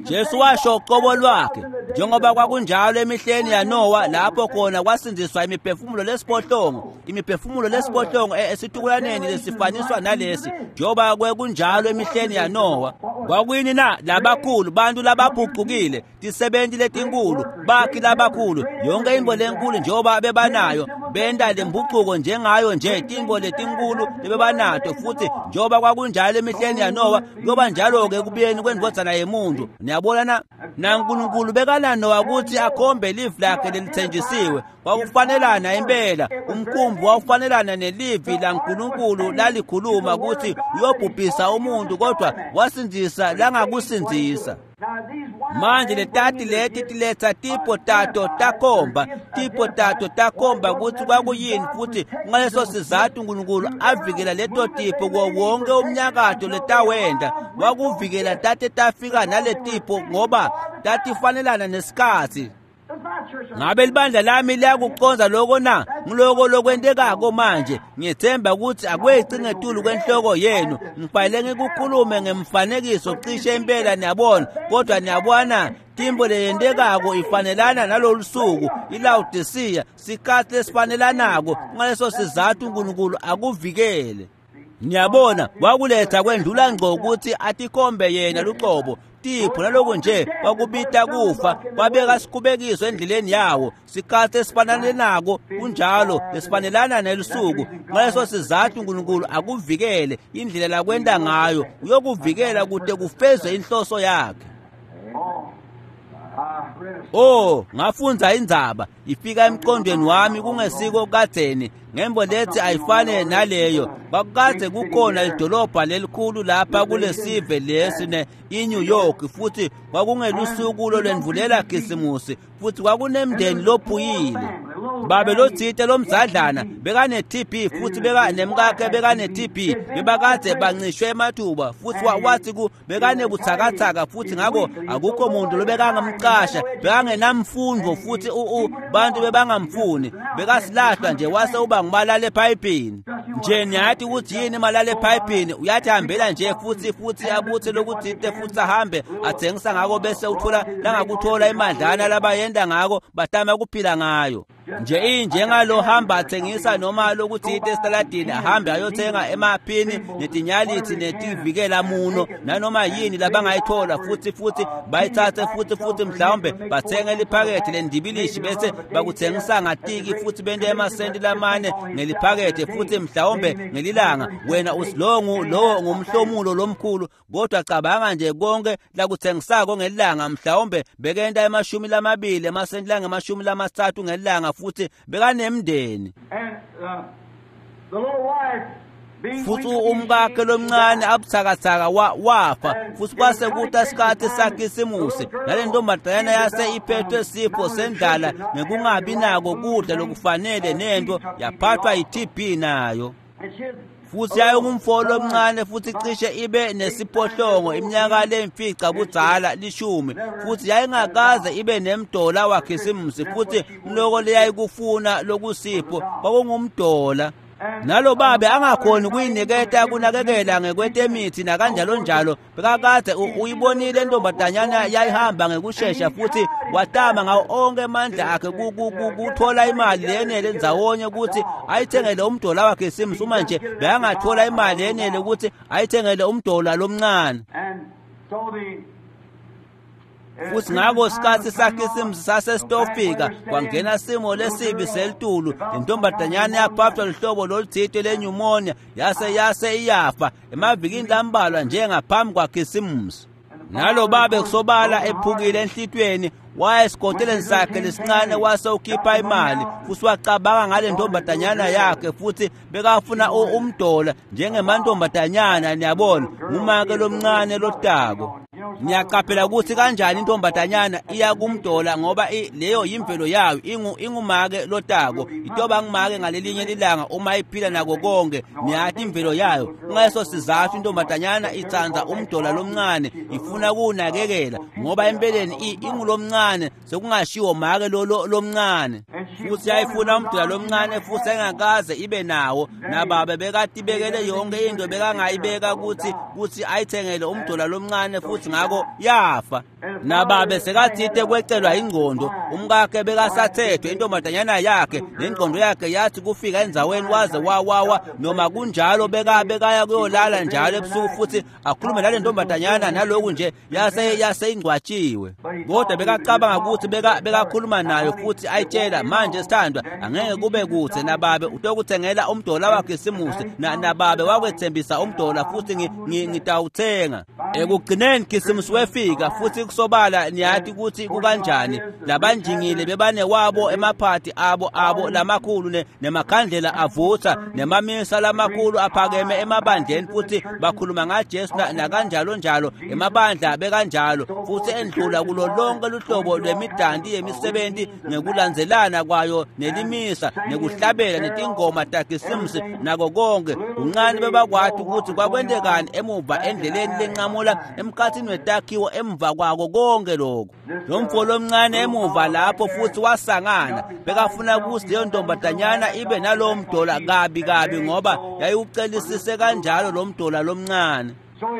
Jesu washo qobo lwakhe, njengoba kwakunjalo emihleni yaNowa lapho khona kwasindziswa imiphefumulo lesiphohlongo, imiphefumulo lesiphohlongo esitukulaneni lesifaniswa nalesi, njengoba kwekunjalo emihleni yaNowa. Kwakuyini na? Labakhulu, bantu labaphucukile, tisebenti letinkulu, bakhi labakhulu, yonke intfo lenkulu njengoba bebanayo, benta lempucuko njengayo nje tintfo letinkulu lebebanato. Futhi njengoba kwakunjalo emihleni yaNowa, kuyoba njalo-ke ekubuyeni kwendvodzana yemuntu. Niyabona na? NaNkulunkulu bekananowa ukuthi akhombe livi lakhe lelithenjisiwe. Kwakufanelana impela, umkhumbi wawufanelana nelivi laNkulunkulu lalikhuluma ukuthi uyobhubhisa umuntu, kodwa wasindzisa langakusindzisa. Now these wise Manje men letati bringing leti the gifts tiletsa tipho tato takhomba, tipho tato takhomba ukuthi kwakuyini, futhi ngaleso sizathu uNkulunkulu avikela leto tipho kuwo wonke umnyakato letawenda. Wakuvikela tate tafika naletipho ngoba tatifanelana nesikhatsi. Does my church Ngabe libandla lami liyakucondza lokho na? Ngiloko lokwentekako manje. Ngiyethemba ukuthi akweqi ngetulu kwenhloko yenu. Ngifanele ngikukhulume ngemfanekiso cishe impela, niyabona. Kodwa niyabona timbo leyentekako ifanelana nalolu suku, iLawodisiya, sikhatsi lesifanelanako. Ngaleso sizathu uNkulunkulu akuvikele. Niyabona, wakuletha kwendlula ngco ukuthi atikhombe yena luqobo. Tipho naloku nje kwakubita kufa, kwabeka sikhubekiso endleleni yawo. Sikhatsi esifananako kunjalo lesifanelana nelusuku. Ngaleso sizathu uNkulunkulu akuvikele indlela lakwenta ngayo, uyokuvikela kute kufezwe inhloso yakhe. Oh, I read a Oh, ngafundza indzaba ifika emqondweni wami kungesiko kadzeni ngembo lethi ayifane naleyo. Kwakukadze kukhona lidolobha lelikhulu lapha kulesive lesi ne iNew York, futhi kwakungelusuku lolwendvulela Khisimusi, futhi kwakunemndeni lophuyile. Babe lotsite lomzadlana bekane-T B futhi beka nemkakhe bekane-T B, bebakadze bancishwe emathuba, futhi wa- wathi ku bekanebuthakathaka, futhi ngako akukho muntu lobekangamcasha, bekangenamfundvo, futhi u- u bantu bebangamfuni, bekasilahlwa nje, wase uba ngumalala ephayipini nje. Niyati ukuthi yini imalala ephayipini? Uyathi hambela nje futhi futhi abuthe lokutsite futhi ahambe athengisa ngako, bese uthola langakuthola imadlana labayenda ngako, batama kuphila ngayo. Nje injengalohamba athengisa noma lokuthite esitaladini, ahambe ayothenga emaphini netinyalithi netivikela muno nanoma yini labangayithola, futhi futhi bayithathe futhi futhi mhlawumbe bathenge liphakethe lendibilishi bese bakuthengisa ngatiki futhi bente emasenti lamane ngeliphakethe futhi mhlawumbe ngelilanga. Wena usilongu lowo ngumhlomulo lomkhulu, kodwa cabanga nje konke lakuthengisako ngelanga, mhlawumbe bekenta emashumi lamabili emasenti langemashumi lamatsatfu ngelanga, futhi bekanemndeni. Futhi umkakhe lomncane abuthakathaka wafa, futhi kwase kuta isikhathi saKhisimusi, nale ntombazanyana yase iphethwe sifo sendlala ngekungabi nako kudla lokufanele nento, yaphathwa yi-T B nayo. Futhi yayingumfo lomncane futhi cishe ibe nesiphohlongo iminyaka lemfica budzala lishumi, futhi yayingakaze ibe nemdola waKhisimusi, futhi loko leyayikufuna lokusipho kwakungumdola. Nalo babe angakhoni kuyiniketa kunakekela ngekwetemithi nakanjalo njalo, bekakade uyibonile intombazanyana yayihamba ngekushesha, futhi watama ngawo onke amandla akhe kuthola imali lenele ndzawonye ukuthi ayithengele umdola waKhisimusi. Uma nje bekangathola imali yenele ukuthi ayithengele umdola lomncane. Futhi ngako sikhathi saKhisimusi sasesitofika, kwangena simo lesibi selitulu, lentombazanyana yaphathwa luhlobo loluthile lenyumonia, yase yase iyafa emavikini lambalwa njengaphambi kwaKhisimusi. Nalo babe kusobala ephukile enhlitweni, waya esigoteleni sakhe lesincane wase ukhipha imali, futhi wacabanga ngale ntombazanyana yakhe, futhi bekafuna umdola njengemantombazanyana, niyabona, ngumake lomncane lotako. Niyaqaphela ukuthi kanjani intombazanyana iya kumdola, ngoba leyo yimvelo yayo, ingu ingumake lotako, itoba ngumake ngalelinye ilanga uma iphila nako konke, niyathi imvelo yayo. Ngaleso sizathu intombazanyana itsandza umdola lomncane, ifuna kuwunakekela, ngoba empeleni ingulomncane, sekungashiwo make lo lomncane. Futhi yayifuna umdola lomncane futhi engakaze ibe nawo, nababe bekatibekele yonke into bekangayibeka ukuthi ukuthi ayithengele umdola lomncane, futhi ngako yafa. Nababe sekathite kwecelwa ingqondo, umkakhe bekasathethwe intombazanyana yakhe, nengqondo yakhe yathi kufika endzaweni waze wawawa. Noma kunjalo beka bekaya kuyolala njalo ebusuku futhi akhulume nale ntombazanyana, naloku nje yase yase ingcwatshiwe. Kodwa bekacabanga ukuthi beka bekakhuluma nayo futhi ayitshela, manje sithandwa angeke kube kude nababe utokuthengela umdola waKhisimusi, na nababe wakwethembisa umdola futhi ngitawuthenga. Ekugcineni Khisimusi wefika, futhi kusobala niyathi ukuthi kukanjani, labanjingile bebane wabo emaphathi abo abo lamakhulu nemakhandlela avutha nemamisa lamakhulu aphakeme emabandleni, futhi bakhuluma ngaJesu nakanjalo njalo, emabandla bekanjalo, futhi endlula kulo lonke luhlobo lwemidanti yemisebenzi ngekulandzelana kwayo, nelimisa nekuhlabela netingoma taKhisimusi nako konke. Kuncane bebakwathi ukuthi kwakwentekani emuva endleleni lenqamula emkhathini wetakhiwo emva kwako konke lokho. Lo mfo lomncane emuva lapho futhi wasangana, bekafuna ukuthi leyo ntombazanyana ibe nalowo mdola kabi kabi, ngoba yayiwucelisise kanjalo lo mdola lomncane.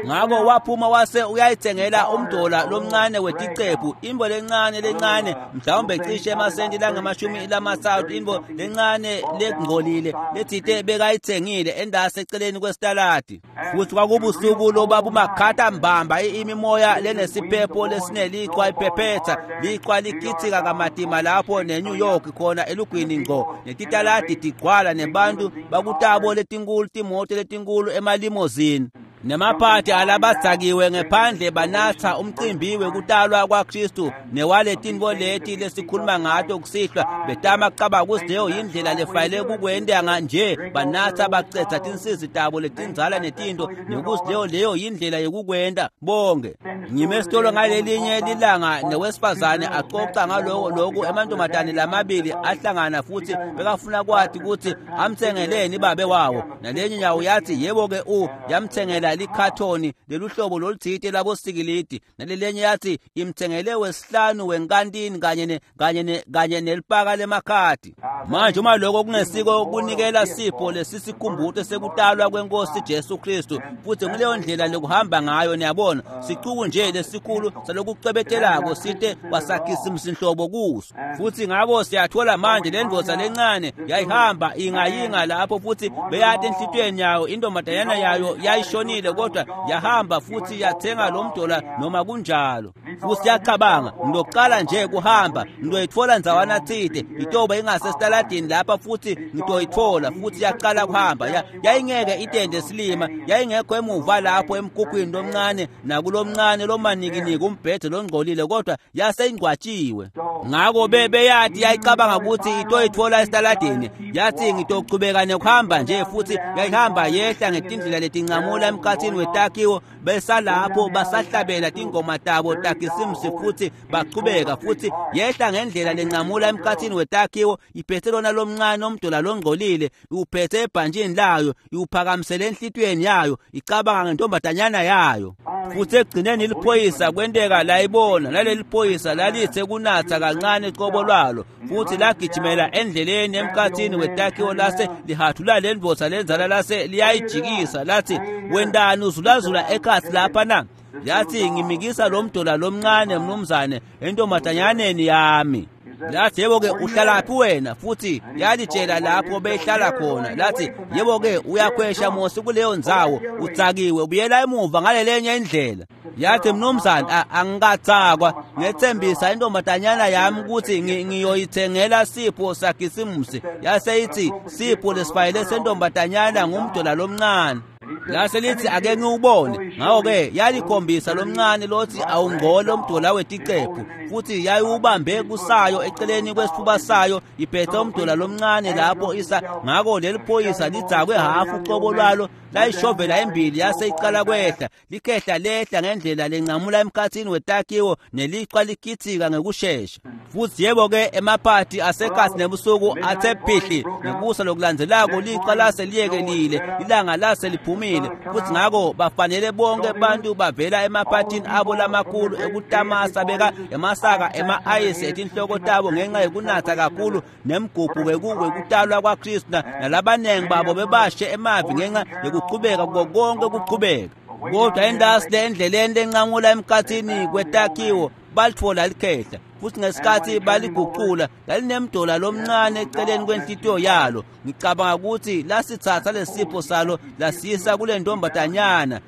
Ngako waphuma wase uyayithengela umdola lomncane weticephu, imbo lencane lencane, mhlawumbe cishe emasenti langamashumi lamathathu, imbo lencane lengcolile lethite bekayithengile endase eceleni kwesitaladi. Futhi kwakubusuku lobabumakhatha mbamba, imimoya lenesiphepho lesinelichwa iphephetha, lichwa likhithika kamatima lapho neNew York khona elugwini ngqo, netitaladi tigcwala nebantu bakutabo letinkulu, timoto letinkulu emalimozini, nemaphathi alabadzakiwe ngephandle banatha umcimbi wekutalwa kwaKristu newaletinto leti lesikhuluma ngato kusihlwa, betama kucabanga ukuthi leyo yindlela lefanele kukwenta nje, banatha bacetha tinsizi tabo letindzala netinto, nekuthi leyo leyo yindlela yekukwenta bonke. Ngime esitolo ngalelinye lilanga newesifazane acoca ngaloko loku, emantombazane lamabili ahlangana futhi bekafuna kwathi ukuthi amthengeleni babe wawo, nalenye nyawo yathi yebo ke u yamthengela imtsengela likhathoni leluhlobo lolutsite labosikilidi nalelenye yathi imtsengele wesihlanu wenkantini kanye ne kanye ne kanye nelipaka lemakhadi. Manje uma lokho kungesiko kunikela sipho lesisikhumbuto sekutalwa kwenkosi Jesu Kristu, futhi nguleyo ndlela lokuhamba ngayo. Niyabona, sicuku nje lesikhulu salokucwebetelako site kwasakhisimsinhlobo kuso. Futhi ngako siyathola manje le ndvodza lencane yayihamba ingayinga lapho, futhi beyati enhlitiyweni yayo intombazanyana yayo yayishonile, kodwa yahamba futhi yathenga lo mdola noma kunjalo. Futhi yacabanga, ngilokuqala nje kuhamba ngizoyithola ndzawana tsite itoba ingasesitaladini lapha futhi ngitoyithola. Futhi yaqala kuhamba, yayingeke itende silima, yayingekho emuva lapho emkhukhwini lomncane nakulomncane lomanikiniki umbhede longcolile, kodwa yaseyingcwatshiwe. Ngako beyati yayicabanga ukuthi itoyithola esitaladini, yathi ngitochubeka nekuhamba nje. Futhi yayihamba yehla ngetindlela letincamula emkhathini wetakhiwo, besalapho basahlabela tingoma tabo takhisimusi futhi bachubeka. Futhi yehla ngendlela lencamula emkhathini wetakhiwo iphethe lona lomncane omdola longcolile, iwuphethe ebhantshini layo, iwuphakamisele enhlitiyweni yayo, icabanga ngentombazanyana yayo. Futhi ekugcineni iliphoyisa kwenteka layibona, naleli phoyisa lalithe kunatha kancane qobo lwalo, futhi lagijimela endleleni emkhathini wetakhiwo lase lihathula le ndvodza lenzala lase liyayijikisa lathi, wendani uzulazula ekhathi lapha na? Yathi, ngimikisa lo mdola lomncane mnumzane entombazanyaneni yami. Lathi, yebo-ke uhlalaphi wena? Futhi yalitshela lapho behlala khona. Lathi, yebo-ke uyakhwesha mosi kuleyo ndzawo, utsakiwe, ubuyela emuva ngalelenye indlela. Yathi, mnumzane, angikatsakwa, ngethembisa intombazanyana yami ukuthi ngiyoyithengela sipho sakhisimusi. Yase ithi, sipho lesifayele sentombazanyana ngumdola lomncane. Lase lithi, ake ngiwubone. Ngakho-ke yalikhombisa lomncane lothi awungcole umdola weticephu, futhi yayiwubambe kusayo eceleni kwesifuba sayo iphethe umdola lomncane lapho isa. Ngako leli phoyisa lidzakwe hafu ucobo lwalo, layishovela embili, yase icala kwehla likhehla lehla ngendlela lencamula emkhathini wetakhiwo nelichwa likhithika ngekushesha. Futhi yebo-ke emaphathi asekhathi nebusuku athe phihli, nekusa lokulandzelako lichwa lase liyekelile, ilanga lase liphumile. Futhi ngako bafanele bonke bantu bavela emaphathini abo lamakhulu ekutamasa beka emasaka ema-ayisi etinhloko tabo ngenxa yokunatha kakhulu nemgubho wekutalwa kwaKristu, nalabanengi babo bebashe emavi ngenxa yokuchubeka kuko konke kuchubeka. Kodwa endasi le endleleni lencamula emkhathini kwetakhiwo balithola likhehla, futhi ngesikhathi baliguqula lalinemdola lomncane eceleni kwenhlitiyo yalo. Ngicabanga ukuthi lasithatha lesipho salo lasiyisa kule ntombazanyana,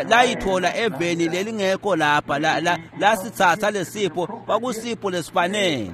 layithola eveni lelingekho lapha. Lasithatha lesipho, kwakusipho lesifanele.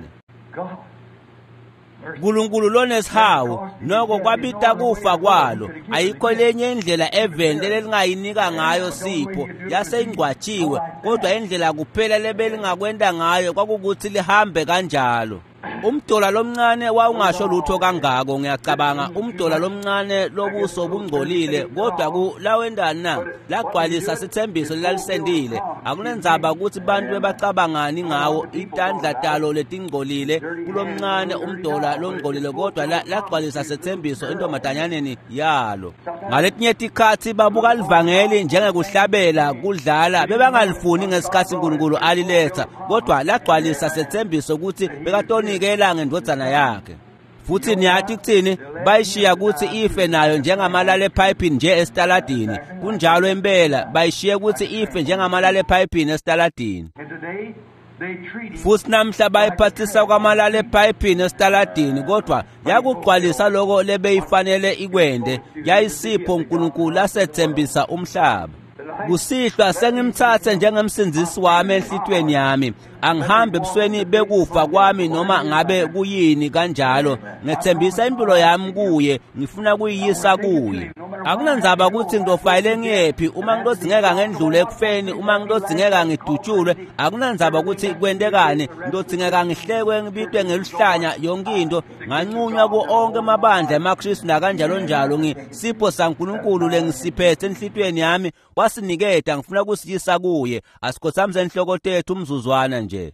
Nkulunkulu lonesihawu noko kwabita kufa kwalo. Ayikho lenye indlela eveni lelingayinika ngayo sipho, yaseyingcwatshiwe, kodwa indlela kuphela lebelingakwenta ngayo kwakukuthi lihambe kanjalo. Umdola lomncane wawungasho lutho kangako, ngiyacabanga umdola lomncane lobuso bungcolile, kodwa ku lawendani na lagcwalisa sithembiso lelalisendile. Akunendzaba ukuthi bantu bebacabangani ngawo, itandla talo letingcolile kulomncane umdola longcolile, kodwa lagcwalisa sethembiso entombazanyaneni yalo. Ngaletinye tikhatsi babuka livangeli njengekuhlabela kudlala, bebangalifuni ngesikhatsi uNkulunkulu aliletha, kodwa lagcwalisa sethembiso ukuthi bekatonikela ngendvodzana yakhe. Futhi niyathi kuthini, bayishiya ukuthi ife nayo njengamalala ephayiphini nje esitaladini. Kunjalo impela, bayishiye ukuthi ife njengamalala ephayiphini esitaladini. Futhi namhla bayiphathisa kwamalala ephayiphini esitaladini, kodwa yakugcwalisa lokho lebeyifanele ikwende, yayisipho uNkulunkulu asethembisa umhlaba. Kusihlwa sengimthathe njengemsindzisi wami enhlitiyweni yami, angihambe ebusweni bekufa kwami noma ngabe kuyini kanjalo. Ngethembisa impilo yami kuye, ngifuna kuyiyisa kuye. Akunandzaba ukuthi ngitofayele ngiyephi, uma ngitodzingeka ngendlule ekufeni, uma ngitodzingeka ngidutshulwe, akunandzaba ukuthi kwentekani, ngitodzingeka ngihlekwe ngibitwe ngeluhlanya yonke into, nganqunywa ku onke amabandla emaKristu nakanjalo njalo. Ngisipho saNkulunkulu lengisiphethe enhlitiyweni yami wasiniketa, ngifuna kusiyisa kuye. Asikhothamise inhloko tethu umzuzwana nje.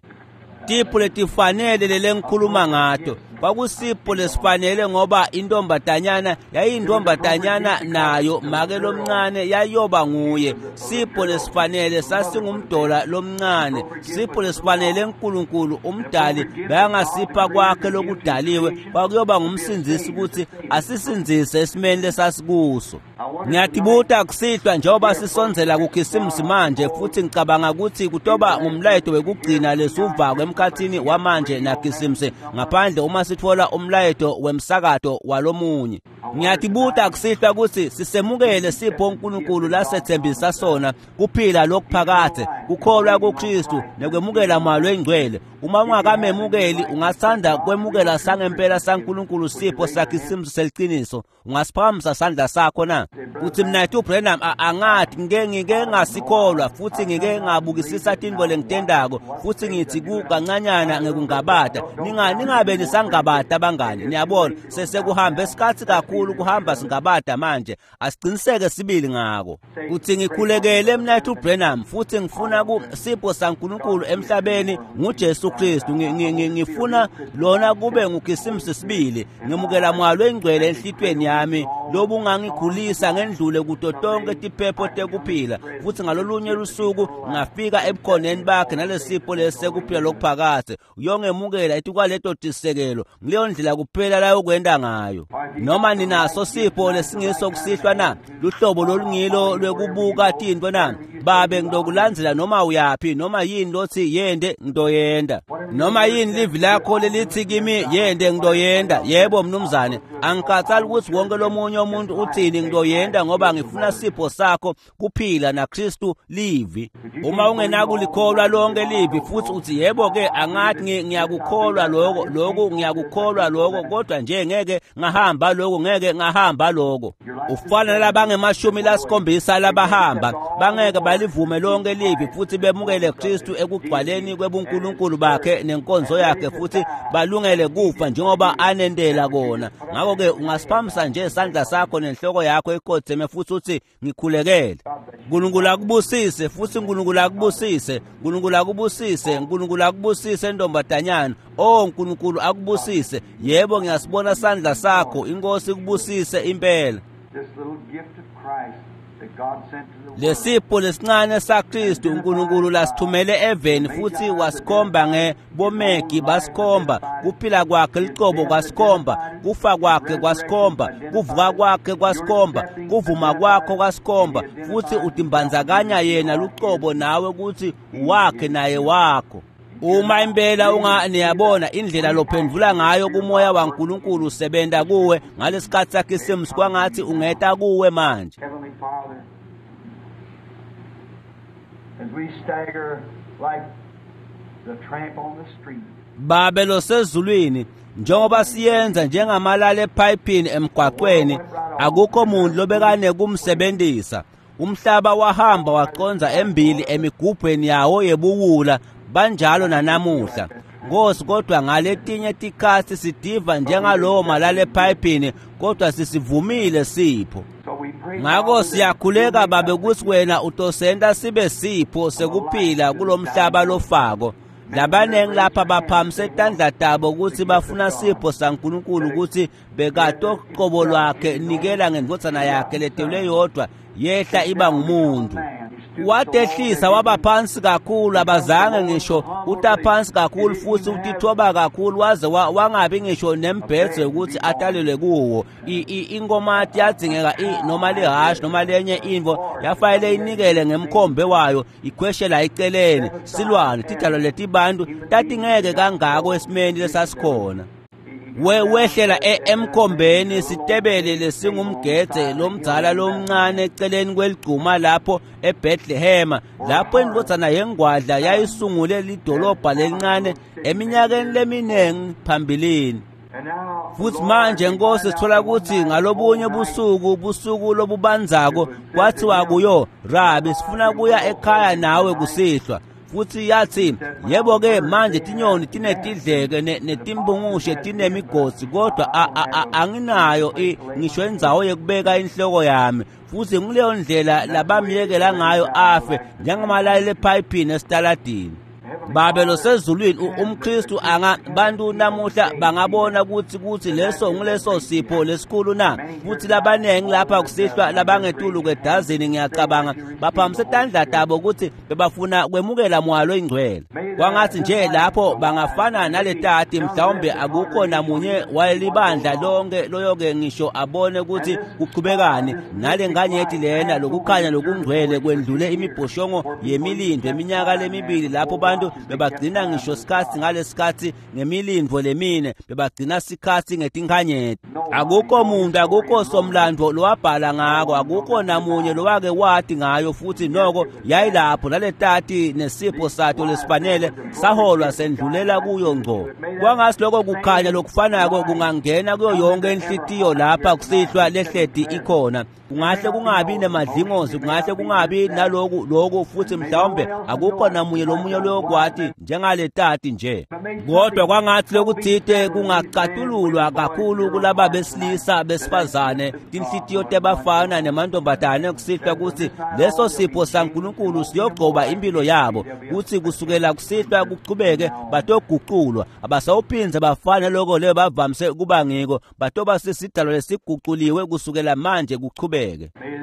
Tipho letifanele lelengikhuluma ngato, Kwakusipho lesifanele ngoba intombatanyana yayintombatanyana nayo make lomncane yayoba nguye. Sipho lesifanele sasingumdola lomncane. Sipho lesifanele uNkulunkulu umdali bayangasipha kwakhe lokudaliwe kwakuyoba ngumsindzisi ukuthi asisindzise esimeni lesasikuso. Ngiyatibuta kusihlwa njengoba sisondzela kuKhisimusi manje, futhi ngicabanga ukuthi kutoba ngumlayeto wekugcina lesuvako emkhathini wamanje naKhisimusi, ngaphandle uma sitfola umlayeto wemsakato walomunye. Ngiyatibuta kusihlwa ukuthi sisemukele sipho uNkulunkulu lasethembisa sona, kuphila lokuphakade, kukholwa kuKristu nekwemukela Moya Oyingcwele. Uma ungakamemukeli, ungathanda kwemukela sangempela saNkulunkulu sipho saKhisimusi seliqiniso, ungasiphakamisa sandla sakho na? Uthi mina uBranham angathi ngike ngike ngasikholwa futhi ngike ngabukisisa tintfo lengitendako futhi ngithi ku kancanyana ngekungabata. Ninga ningabe nisangabata bangani, niyabona sesekuhambe isikhathi kakhulu kuhamba singabata manje, asiqiniseke sibili ngako. Uthi ngikhulekele mina uBranham futhi ngifuna ku sipho saNkulunkulu emhlabeni nguJesu Kristu, ngifuna lona kube nguKhisimusi sibili, ngemukela Moya Oyingcwele enhlitweni yami lobungangikhulisa ngendlule kuto tonke tiphepho tekuphila, futhi ngalolunye lusuku ngafika ebukhoneni bakhe nalesipho lesekuphila lokuphakade. Uyongemukela etikwaleto tisekelo, ngileyo ndlela kuphela la yokwenda ngayo. Noma ninaso sipho lesingiso kusihlwa na? Luhlobo lolungilo lwekubuka tintfo na? Babe ngilokulandzela noma uyaphi, noma yini lothi yende ngidoyenda, noma yini livi lakho lelithi kimi yende ngidoyenda. Yebo mnumzane, angikhathali ukuthi wonke lomunye umuntu uthini, ngidoyenda ngoba ngifuna sipho sakho kuphila naKristu livi. Uma ungenakulikholwa lonke livi futhi uthi yebo ke angathi ngiyakukholwa lokho, lokho ngiyakukholwa lokho, kodwa nje ngeke ngahamba lokho, ngeke ngahamba lokho. Ufana labangemashumi lasikhombisa labahamba bangeke balivume lonke livi futhi bemukele Kristu ekugcwaleni kwebunkulunkulu bakhe nenkonzo yakhe futhi balungele kufa njengoba anendela kona. Ngakho-ke ungasiphamisa nje isandla sakho nenhloko yakho ikhotheme futhi uthi ngikhulekele. uNkulunkulu akubusise futhi uNkulunkulu akubusise, uNkulunkulu akubusise, uNkulunkulu akubusise ntombazanyana. Oh uNkulunkulu akubusise. Yebo ngiyasibona sandla sakho, inkosi ikubusise impela. Lesipho lesincane saKristu uNkulunkulu lasithumele eveni futhi wasikhomba ngebomegi basikhomba, kuphila kwakhe licobo kwasikhomba, kufa kwakhe kwasikhomba, kuvuka kwakhe kwasikhomba, kuvuma kwakho kwasikhomba, futhi utimbandzakanya yena lucobo nawe ukuthi wakhe naye wakho. Uma impela unga niyabona indlela lophendvula ngayo kumoya waNkulunkulu usebenta kuwe ngalesikhathi saKhisimusi, kwangathi ungeta kuwe manje. As we stagger like the tramp on the street. Babe losezulwini, njengoba siyenza njengamalala ephayiphini emgwaqweni, akukho muntu lobekane kumsebenzisa. Umhlaba wahamba waqonza embili emigubhweni yawo yebuwula, banjalo nanamuhla. Nkosi, kodwa ngaletinye tikhatsi sidiva njengalowo malala ephayiphini, kodwa sisivumile sipho. Ngakho siyakhuleka Babe ukuthi wena utosenta sibe sipho sekuphila kulomhlaba lofako. Labanengi lapha baphamise tandla tabo ukuthi bafuna sipho saNkulunkulu ukuthi bekatoqobo lwakhe nikela ngendvodzana yakhe letelwe yodwa yehla iba ngumuntu. Watehlisa waba phansi kakhulu, abazange ngisho uta phansi kakhulu futhi utithoba kakhulu waze wangabi ngisho nembhedze ukuthi atalelwe kuwo. Inkomati yadzingeka noma lihashi noma lenye intfo yafanele inikele ngemkhombe wayo ikhweshela eceleni. Silwane tidalwa letibantu tatingeke kangako esimeni lesasikhona. We wehlela emkhombeni sitebele lesingumgedze lomdzala lomncane eceleni kweligcuma lapho eBethlehem, lapho indvodzana yengwadla yayisungule lidolobha lelincane eminyakeni leminingi phambilini. Futhi manje Nkosi sithola ukuthi ngalobunye busuku, busuku lobubanzako, kwathiwa kuyo, Rabi, sifuna kuya ekhaya nawe kusihlwa. Futhi yathi, yebo ke manje tinyoni tinetidleke netimbungushe tinemigodzi, kodwa anginayo ngisho indzawo yekubeka inhloko yami. Futhi nguleyo ndlela labamyekela ngayo afe njengamalala ephayiphini esitaladini. Babe losezulwini umKristu anga bantu namuhla bangabona ukuthi ukuthi leso ngileso sipho lesikhulu na futhi labanengi lapha kusihlwa labangetulu kwedazini ngiyacabanga baphakamisa tandla tabo ukuthi bebafuna kwemukela moya loyingcwele. Kwangathi nje lapho bangafana naletati mhlawumbe akukho namunye walibandla lonke loyoke ngisho abone ukuthi kuqhubekani nale nganyeti lena lokukhanya lokungcwele kwendlule imibhoshongo yemilindo eminyaka lemibili lapho bantu bebagcina ngisho sikhathi ngalesikhathi ngemilindo lemine bebagcina sikhathi ngetinkanyeti. Akukho muntu akukho somlando lowabhala ngako akukho namunye lowake wathi ngayo futhi noko yayilapho naletati nesipho sato lesifanele saholwa sendlulela kuyo ngco. Kwangasi lokho kukhanya lokufanako kungangena kuyo yonke inhlitiyo lapha kusihlwa lehleti ikhona. Kungahle kungabi nemadlingozi kungahle kungabi naloku lokhu futhi mhlawumbe akukho namunye lomunye loyokwati njengaletati nje. Kodwa kwangathi lokuthite kungacatululwa kakhulu kulaba besilisa besifazane tinhlitiyo tebafana nemantombazane kusihlwa ukuthi leso sipho saNkulunkulu siyogcoba impilo yabo kuthi kusukela kusihlwa kuchubeke batoguculwa abasawuphinze bafane lokho leyo bavamise kuba ngiko batoba sisidalo lesiguculiwe kusukela manje kuchubeke.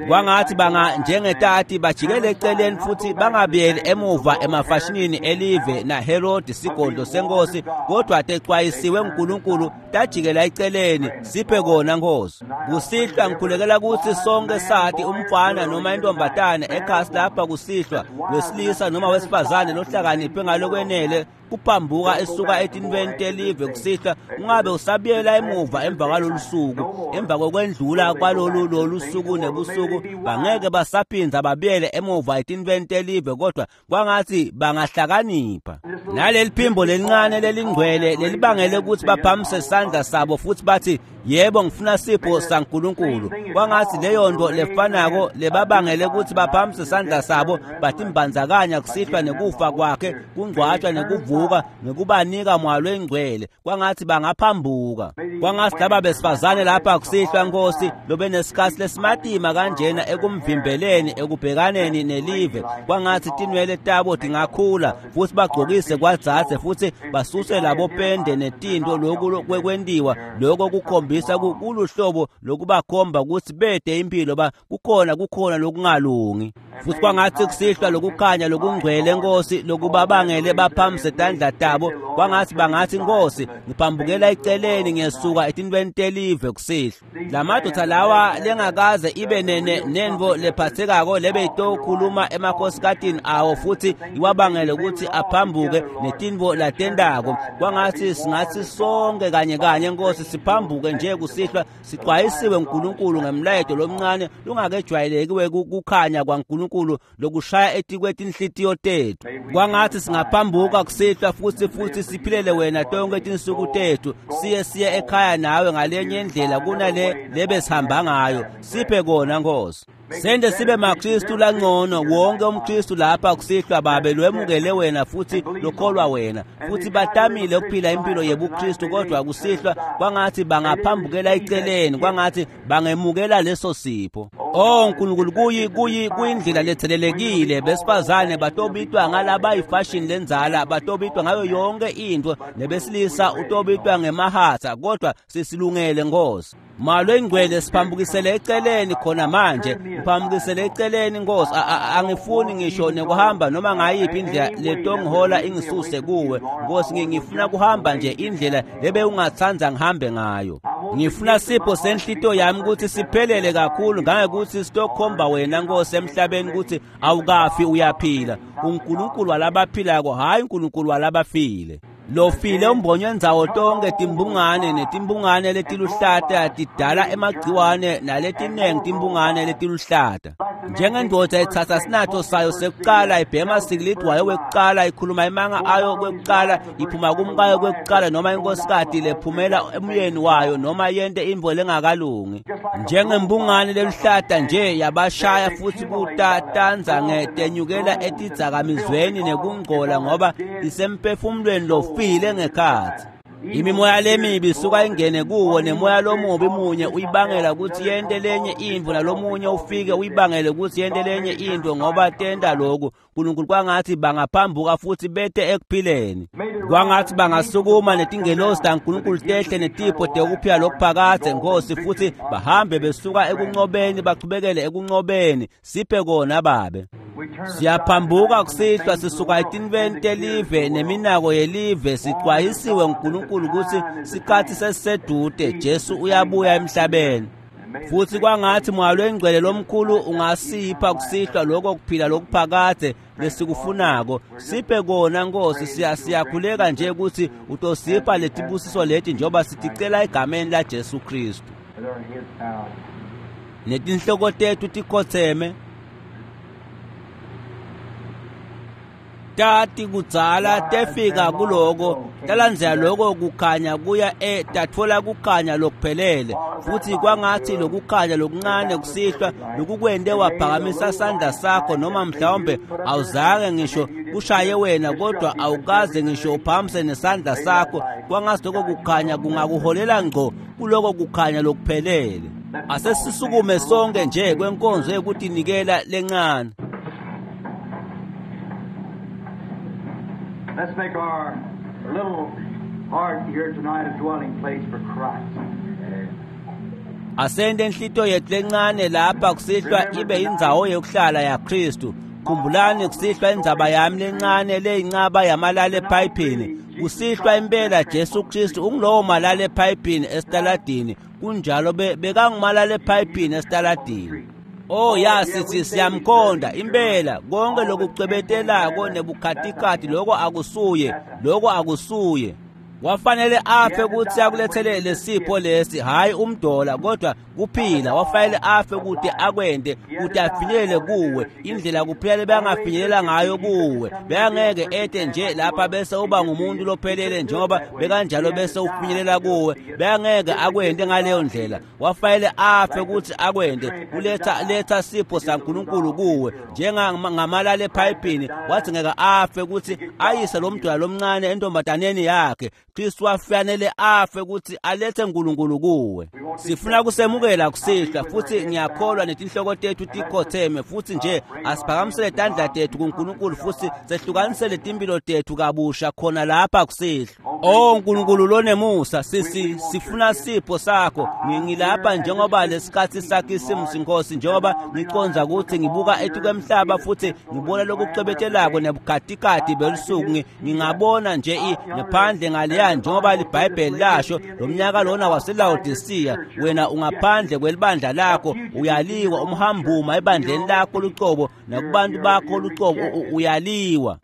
Kwangathi banga njengetati bajikele eceleni futhi bangabuyeli emuva emafashinini elive na Herod sigodlo senkosi kodwa tecwayisiwe uNkulunkulu tajikela eceleni. Siphe kona Nkosi. Kusihlwa ngikhulekela ukuthi sonke sathi umfana noma intombatane ekhasi lapha kusihlwa wesilisa noma wesifazane lohlakaniphe ngalokwenele kuphambuka esuka etintweni telive kusihlwa ungabe usabuyela emuva emva kwalolu suku emva kokwendlula kwalolu lolu suku nebusuku bangeke basaphinza babuyele emuva etintweni telive kodwa kwangathi bangahlakanipha. Naleli phimbo lelincane lelingcwele lelibangele ukuthi baphamise isandla sabo futhi bathi yebo ngifuna sipho saNkulunkulu. Kwangathi leyo nto lefanako lebabangele ukuthi baphamise isandla sabo batimbandzakanya kusihlwa nekufa kwakhe kungcwatshwa nekuvuka nekubanika moya loyingcwele. Kwangathi bangaphambuka. Kwangathi laba besifazane lapha kusihlwa Nkosi lobe nesikhathi lesimatima kanjena ekumvimbeleni ekubhekaneni nelive kwangathi tinwele tabo tingakhula futhi bagcokise kwadzadze futhi basuse labo pende netinto lokhu kwekwentiwa lokho kukhombisa kuluhlobo lokubakhomba ukuthi bede impilo ba kukhona kukhona lokungalungi. Futhi kwangathi kusihlwa lokukhanya lokungcwele Nkosi lokubabangele baphamise tandla tabo kwangathi bangathi Nkosi ngiphambukela eceleni ngiyesuka etintweni telive kusihlwa. Lamadoda lawa lengakaze ibe nene nenvo lephathekako lebe itokhuluma emakhosikatini awo futhi iwabangele ukuthi aphambuke netinvo latendako. Kwangathi singathi sonke kanye kanye Nkosi siphambuke nje kusihlwa sixwayisiwe uNkulunkulu ngemlayeto lomncane lungakejwayeleki kukhanya kwaNkulunkulu lokushaya etikwetinhlitiyo tethu. Kwangathi singaphambuka kusihlwa futhi futhi siphilele wena tonke tinsuku tethu siye siye ekhaya nawe ngalenye indlela kunale lebe sihamba ngayo. Siphe kona Nkosi. Sende sibe maKristu langcono wonke umKristu lapha kusihlwa babe lwemukele wena futhi lokholwa wena futhi batamile ukuphila impilo yebuKristu kodwa kusihlwa kwangathi bangaphambukela eceleni kwangathi bangemukela leso sipho. Oh Nkulunkulu kuyi kuyi kuyindlela lethelelekile besifazane batobitwa ngalaba ifashion lenzala batobitwa ngayo yonke into nebesilisa utobitwa ngemahatha kodwa sisilungele Nkosi. Malo ingcwele siphambukisele eceleni khona manje ngiphambukisele eceleni Nkosi. Angifuni ngisho nekuhamba noma ngayiphi indlela letongihola ingisuse kuwe Nkosi. Ngifuna kuhamba nje indlela lebe ungathanda ngihambe ngayo. Ngifuna sipho senhlito yami ukuthi siphelele kakhulu ngangekuthi sitokhomba wena Nkosi emhlabeni ukuthi awukafi uyaphila. uNkulunkulu walabaphilako hayi uNkulunkulu walabafile. Lofile umbonyo ndzawo tonke timbungane netimbungane letiluhlata tidala emagciwane naletinengi timbungane letiluhlata. Njengendoda etsatsa sinatho sayo sekuqala ibhema sikilidi wayo kwekuqala ikhuluma imanga ayo kwekuqala iphuma kumkayo kwekuqala noma inkosikati lephumela emyeni wayo noma yente intfo lengakalungi. Njengembungane leluhlata nje yabashaya futhi kutatanza ngetenyukela etidzakamizweni nekungcola ngoba isemphefumulweni lofile ngekhatsi. Imimoya lemibi isuka ingene kuwo, nemoya lomubi munye uyibangela kutsi yente lenye intfo, nalomunye ufike uyibangele kutsi yente lenye intfo, ngoba tenta loku. Nkulunkulu kwangatsi bangaphambuka futsi bete ekuphileni. Kwangatsi bangasukuma netingelosi taNkulunkulu tehle netipho tekuphila lokuphakadze, Nkosi, futsi bahambe besuka ekuncobeni bachubekele ekuncobeni. Siphe kona Babe. Siyaphambuka kusihlwa sisuka etintfweni telive neminako yelive, sixwayisiwe nguNkulunkulu kutsi sikhatsi sesisedute, Jesu uyabuya emhlabeni. Futsi kwangatsi Moya Longcwele lomkhulu ungasipha kusihlwa lokho kuphila lokuphakadze lesikufunako. Siphe kona Nkosi. Siyakhuleka nje kutsi utosipha letibusiso leti njengoba siticela egameni la Jesu Kristu. Netinhloko tetfu tikhotseme. Tati kudzala tefika kuloko, talandzela loko kukhanya kuya e tatfola kukhanya lokuphelele. Futsi kwangatsi lokukhanya lokuncane kusihlwa lokukwente waphakamisa sandla sakho, noma mhlawumbe awuzange ngisho kushaye wena, kodwa awukaze ngisho uphakamise nesandla sakho. Kwangatsi loko kukhanya kungakuholela ngco kuloko kukhanya lokuphelele. Asesisukume sonke nje kwenkonzo yekutinikela lencane. Let's make our little heart here tonight a dwelling place for Christ. Asente inhlito yethu lencane lapha kusihlwa ibe indzawo yokuhlala yaKristu. Khumbulani kusihlwa indzaba yami lencane leyincaba yamalala ephayiphini. Kusihlwa impela Jesu Kristu ungulowo malala ephayiphini esitaladini. Kunjalo bekangumalala ephayiphini esitaladini. Oh ya, sithi siyamkhonda impela. Konke lokucwebetelako nebukhatikhathi lokho akusuye, lokho akusuye. Wafanele afe kutsi akulethele lesipho lesi, hayi umdola, kodwa kuphila. Wafanele afe kuti akwente, kuti afinyelele kuwe indlela kuphela lebangafinyelela ngayo kuwe. Bekangeke ete nje lapha bese uba ngumuntu lophelele njengoba bekanjalo bese ufinyelela kuwe. Bekangeke akwente ngaleyo ndlela. Wafanele afe kutsi akwente, kuletha letha sipho saNkulunkulu kuwe njengamalala ephayiphini. Wathi ngeke afe kutsi ayise lo mntwana lomncane entombataneni yakhe. Kristu wafanele afe kutsi alethe uNkulunkulu kuwe. Sifuna kusemukela kusihlwa, futsi ngiyakholwa netinhloko tetfu tikhotseme, futsi nje asiphakamisele tandla tetfu kuNkulunkulu futsi sehlukanisele timphilo tetfu kabusha khona lapha kusihlwa. Oh Nkulunkulu lonemusa, sisi sifuna sipho sakho. Ngilapha njengoba lesikhatsi sakhe isimusi Nkosi, njengoba ngicondza kutsi ngibuka etikwemhlaba futsi ngibona lokucwebetelako nebukhatikhathi belusuku. Ngingabona nje ngephandle ngaleya njengoba liBhayibheli lasho, lo mnyaka lona waseLawodisiya, wena ungaphandle kwelibandla lakho, uyaliwa, umhambuma ebandleni lakho lucobo nakubantu bakho lucobo, uyaliwa.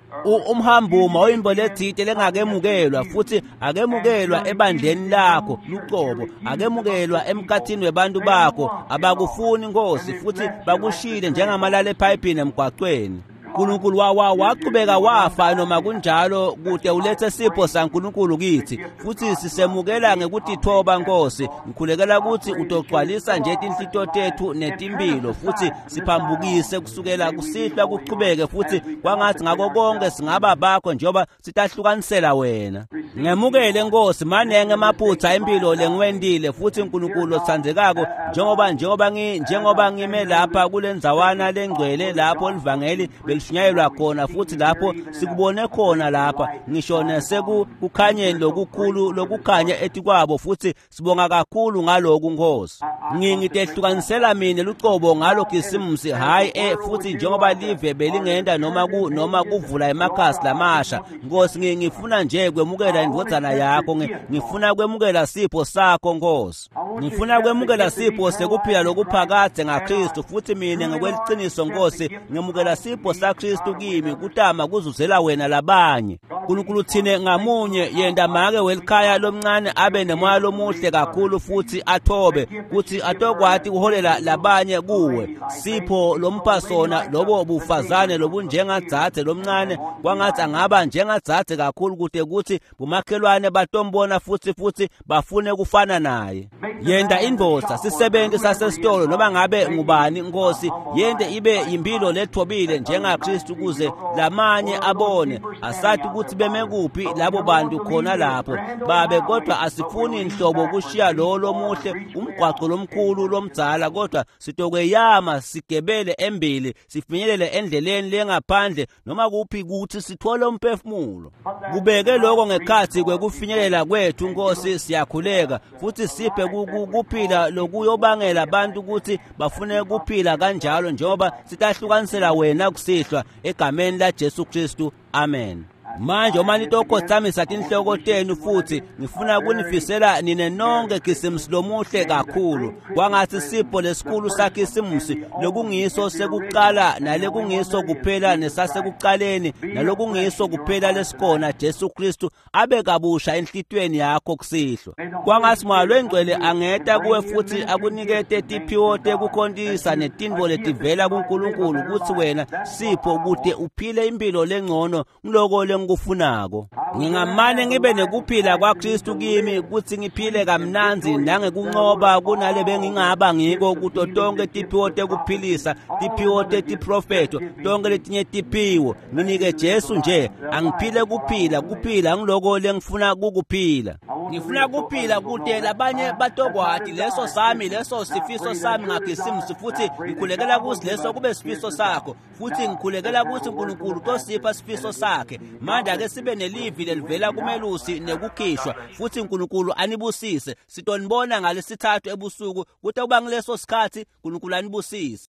Umhambuma oyintfo letsite lengakemukelwa, futhi akemukelwa ebandleni lakho lucobo, akemukelwa emkhathini webantu bakho. Abakufuni Nkosi, futhi bakushile njengamalala ephayiphini emgwacweni. Nkulunkulu wa wachubeka wafa noma kunjalo kute ulethe sipho saNkulunkulu kithi, futsi sisemukela ngekutithoba Nkosi. Ngikhulekela kutsi utogcwalisa nje tinhlito tetfu netimphilo, futsi siphambukise kusukela kusihlwa kuchubeke, futsi kwangatsi ngako konke singaba bakho njengoba sitahlukanisela wena. Ngemukele Nkosi, manenge emaphutsa impilo lengiwentile, futsi Nkulunkulu lotsandzekako, njengoba njengoba ngi njengoba ngime lapha kulendzawana lengcwele lapho livangeli belishunyayelwa khona, futhi lapho sikubone khona lapha ngisho nesekukhanyeni lokukhulu lokukhanya etikwabo, futhi sibonga kakhulu ngaloku Nkosi. Ngingitehlukanisela mina lucobo ngalo Khisimusi, hayi eh futhi njengoba live belingenda noma ku noma kuvula emakhasi lamasha Nkosi, ngifuna nje kwemukela indvodzana yakho, ngifuna kwemukela sipho sakho Nkosi, ngifuna kwemukela sipho sekuphila lokuphakadze ngaKristu, futhi mina ngokweliciniso Nkosi ngemukela sipho saKristu kimi kutama kuzuzela wena labanye. Nkulunkulu thine ngamunye yenta make welikhaya lomncane abe nemoya lomuhle kakhulu futhi athobe kuthi atokwati kuholela labanye kuwe. Sipho lompha sona lobo bufazane lobunjengadzadze lomncane, kwangatsi angaba njengadzadze kakhulu kute kutsi bomakhelwane batombona futhi futhi bafune kufana naye. Yenta indvodza sisebenti sasesitolo noma ngabe ngubani Nkosi, yente ibe impilo lethobile njenga njengaKristu kuze lamanye abone. Asathi ukuthi beme kuphi labo bantu khona lapho babe, kodwa asifuni inhlobo kushiya lo lomuhle umgwaqo lomkhulu lomdzala, kodwa sitokweyama sigebele embili sifinyelele endleleni lengaphandle noma kuphi kuthi sithole umphefumulo. Kubeke lokho ngekhathi kwekufinyelela kwethu Nkosi, siyakhuleka futhi siphe kuphila lokuyobangela abantu ukuthi bafune kuphila kanjalo njengoba sitahlukanisela wena kusihlwa egameni la Jesu Kristu, amen. Manje uma nitokotsamisa tinhloko tenu futhi ngifuna kunifisela nine nonke Khisimusi lomuhle kakhulu. Kwangathi sipho lesikhulu saKhisimusi lokungiso sekuqala nalekungiso kuphela nesasekuqaleni nalokungiso kuphela lesikona Jesu Kristu abe kabusha enhlitiyweni yakho kusihlwa. Kwangathi Moya Longcwele angeta kuwe futhi akunikete tiphiwo tekukhontisa netintfo letivela kuNkulunkulu kutsi wena sipho kute uphile impilo lengcono ngiloko lengikufunako. Ngingamane ngibe nekuphila kwaKristu kimi kutsi ngiphile kamnandzi nangekuncoba kunale bengingaba ngiko kuto tonke tiphiwo tekuphilisa, tiphiwo tetiprofetho, tonke letinye tiphiwo. Nginike Jesu nje angiphile kuphila, kuphila ngiloko lengifuna kukuphila. Ngifuna kuphila kute labanye batokwati leso sami, leso sifiso sami ngaKhisimusi, futhi ngikhulekela kuthi leso kube sifiso sakho, futhi ngikhulekela kuthi uNkulunkulu tosipha sifiso sakhe. Manje ake sibe nelivi lelivela kumelusi nekukhishwa, futhi uNkulunkulu anibusise. Sitonibona ngalesithathu ebusuku, kuthi kuba ngileso sikhathi uNkulunkulu anibusise.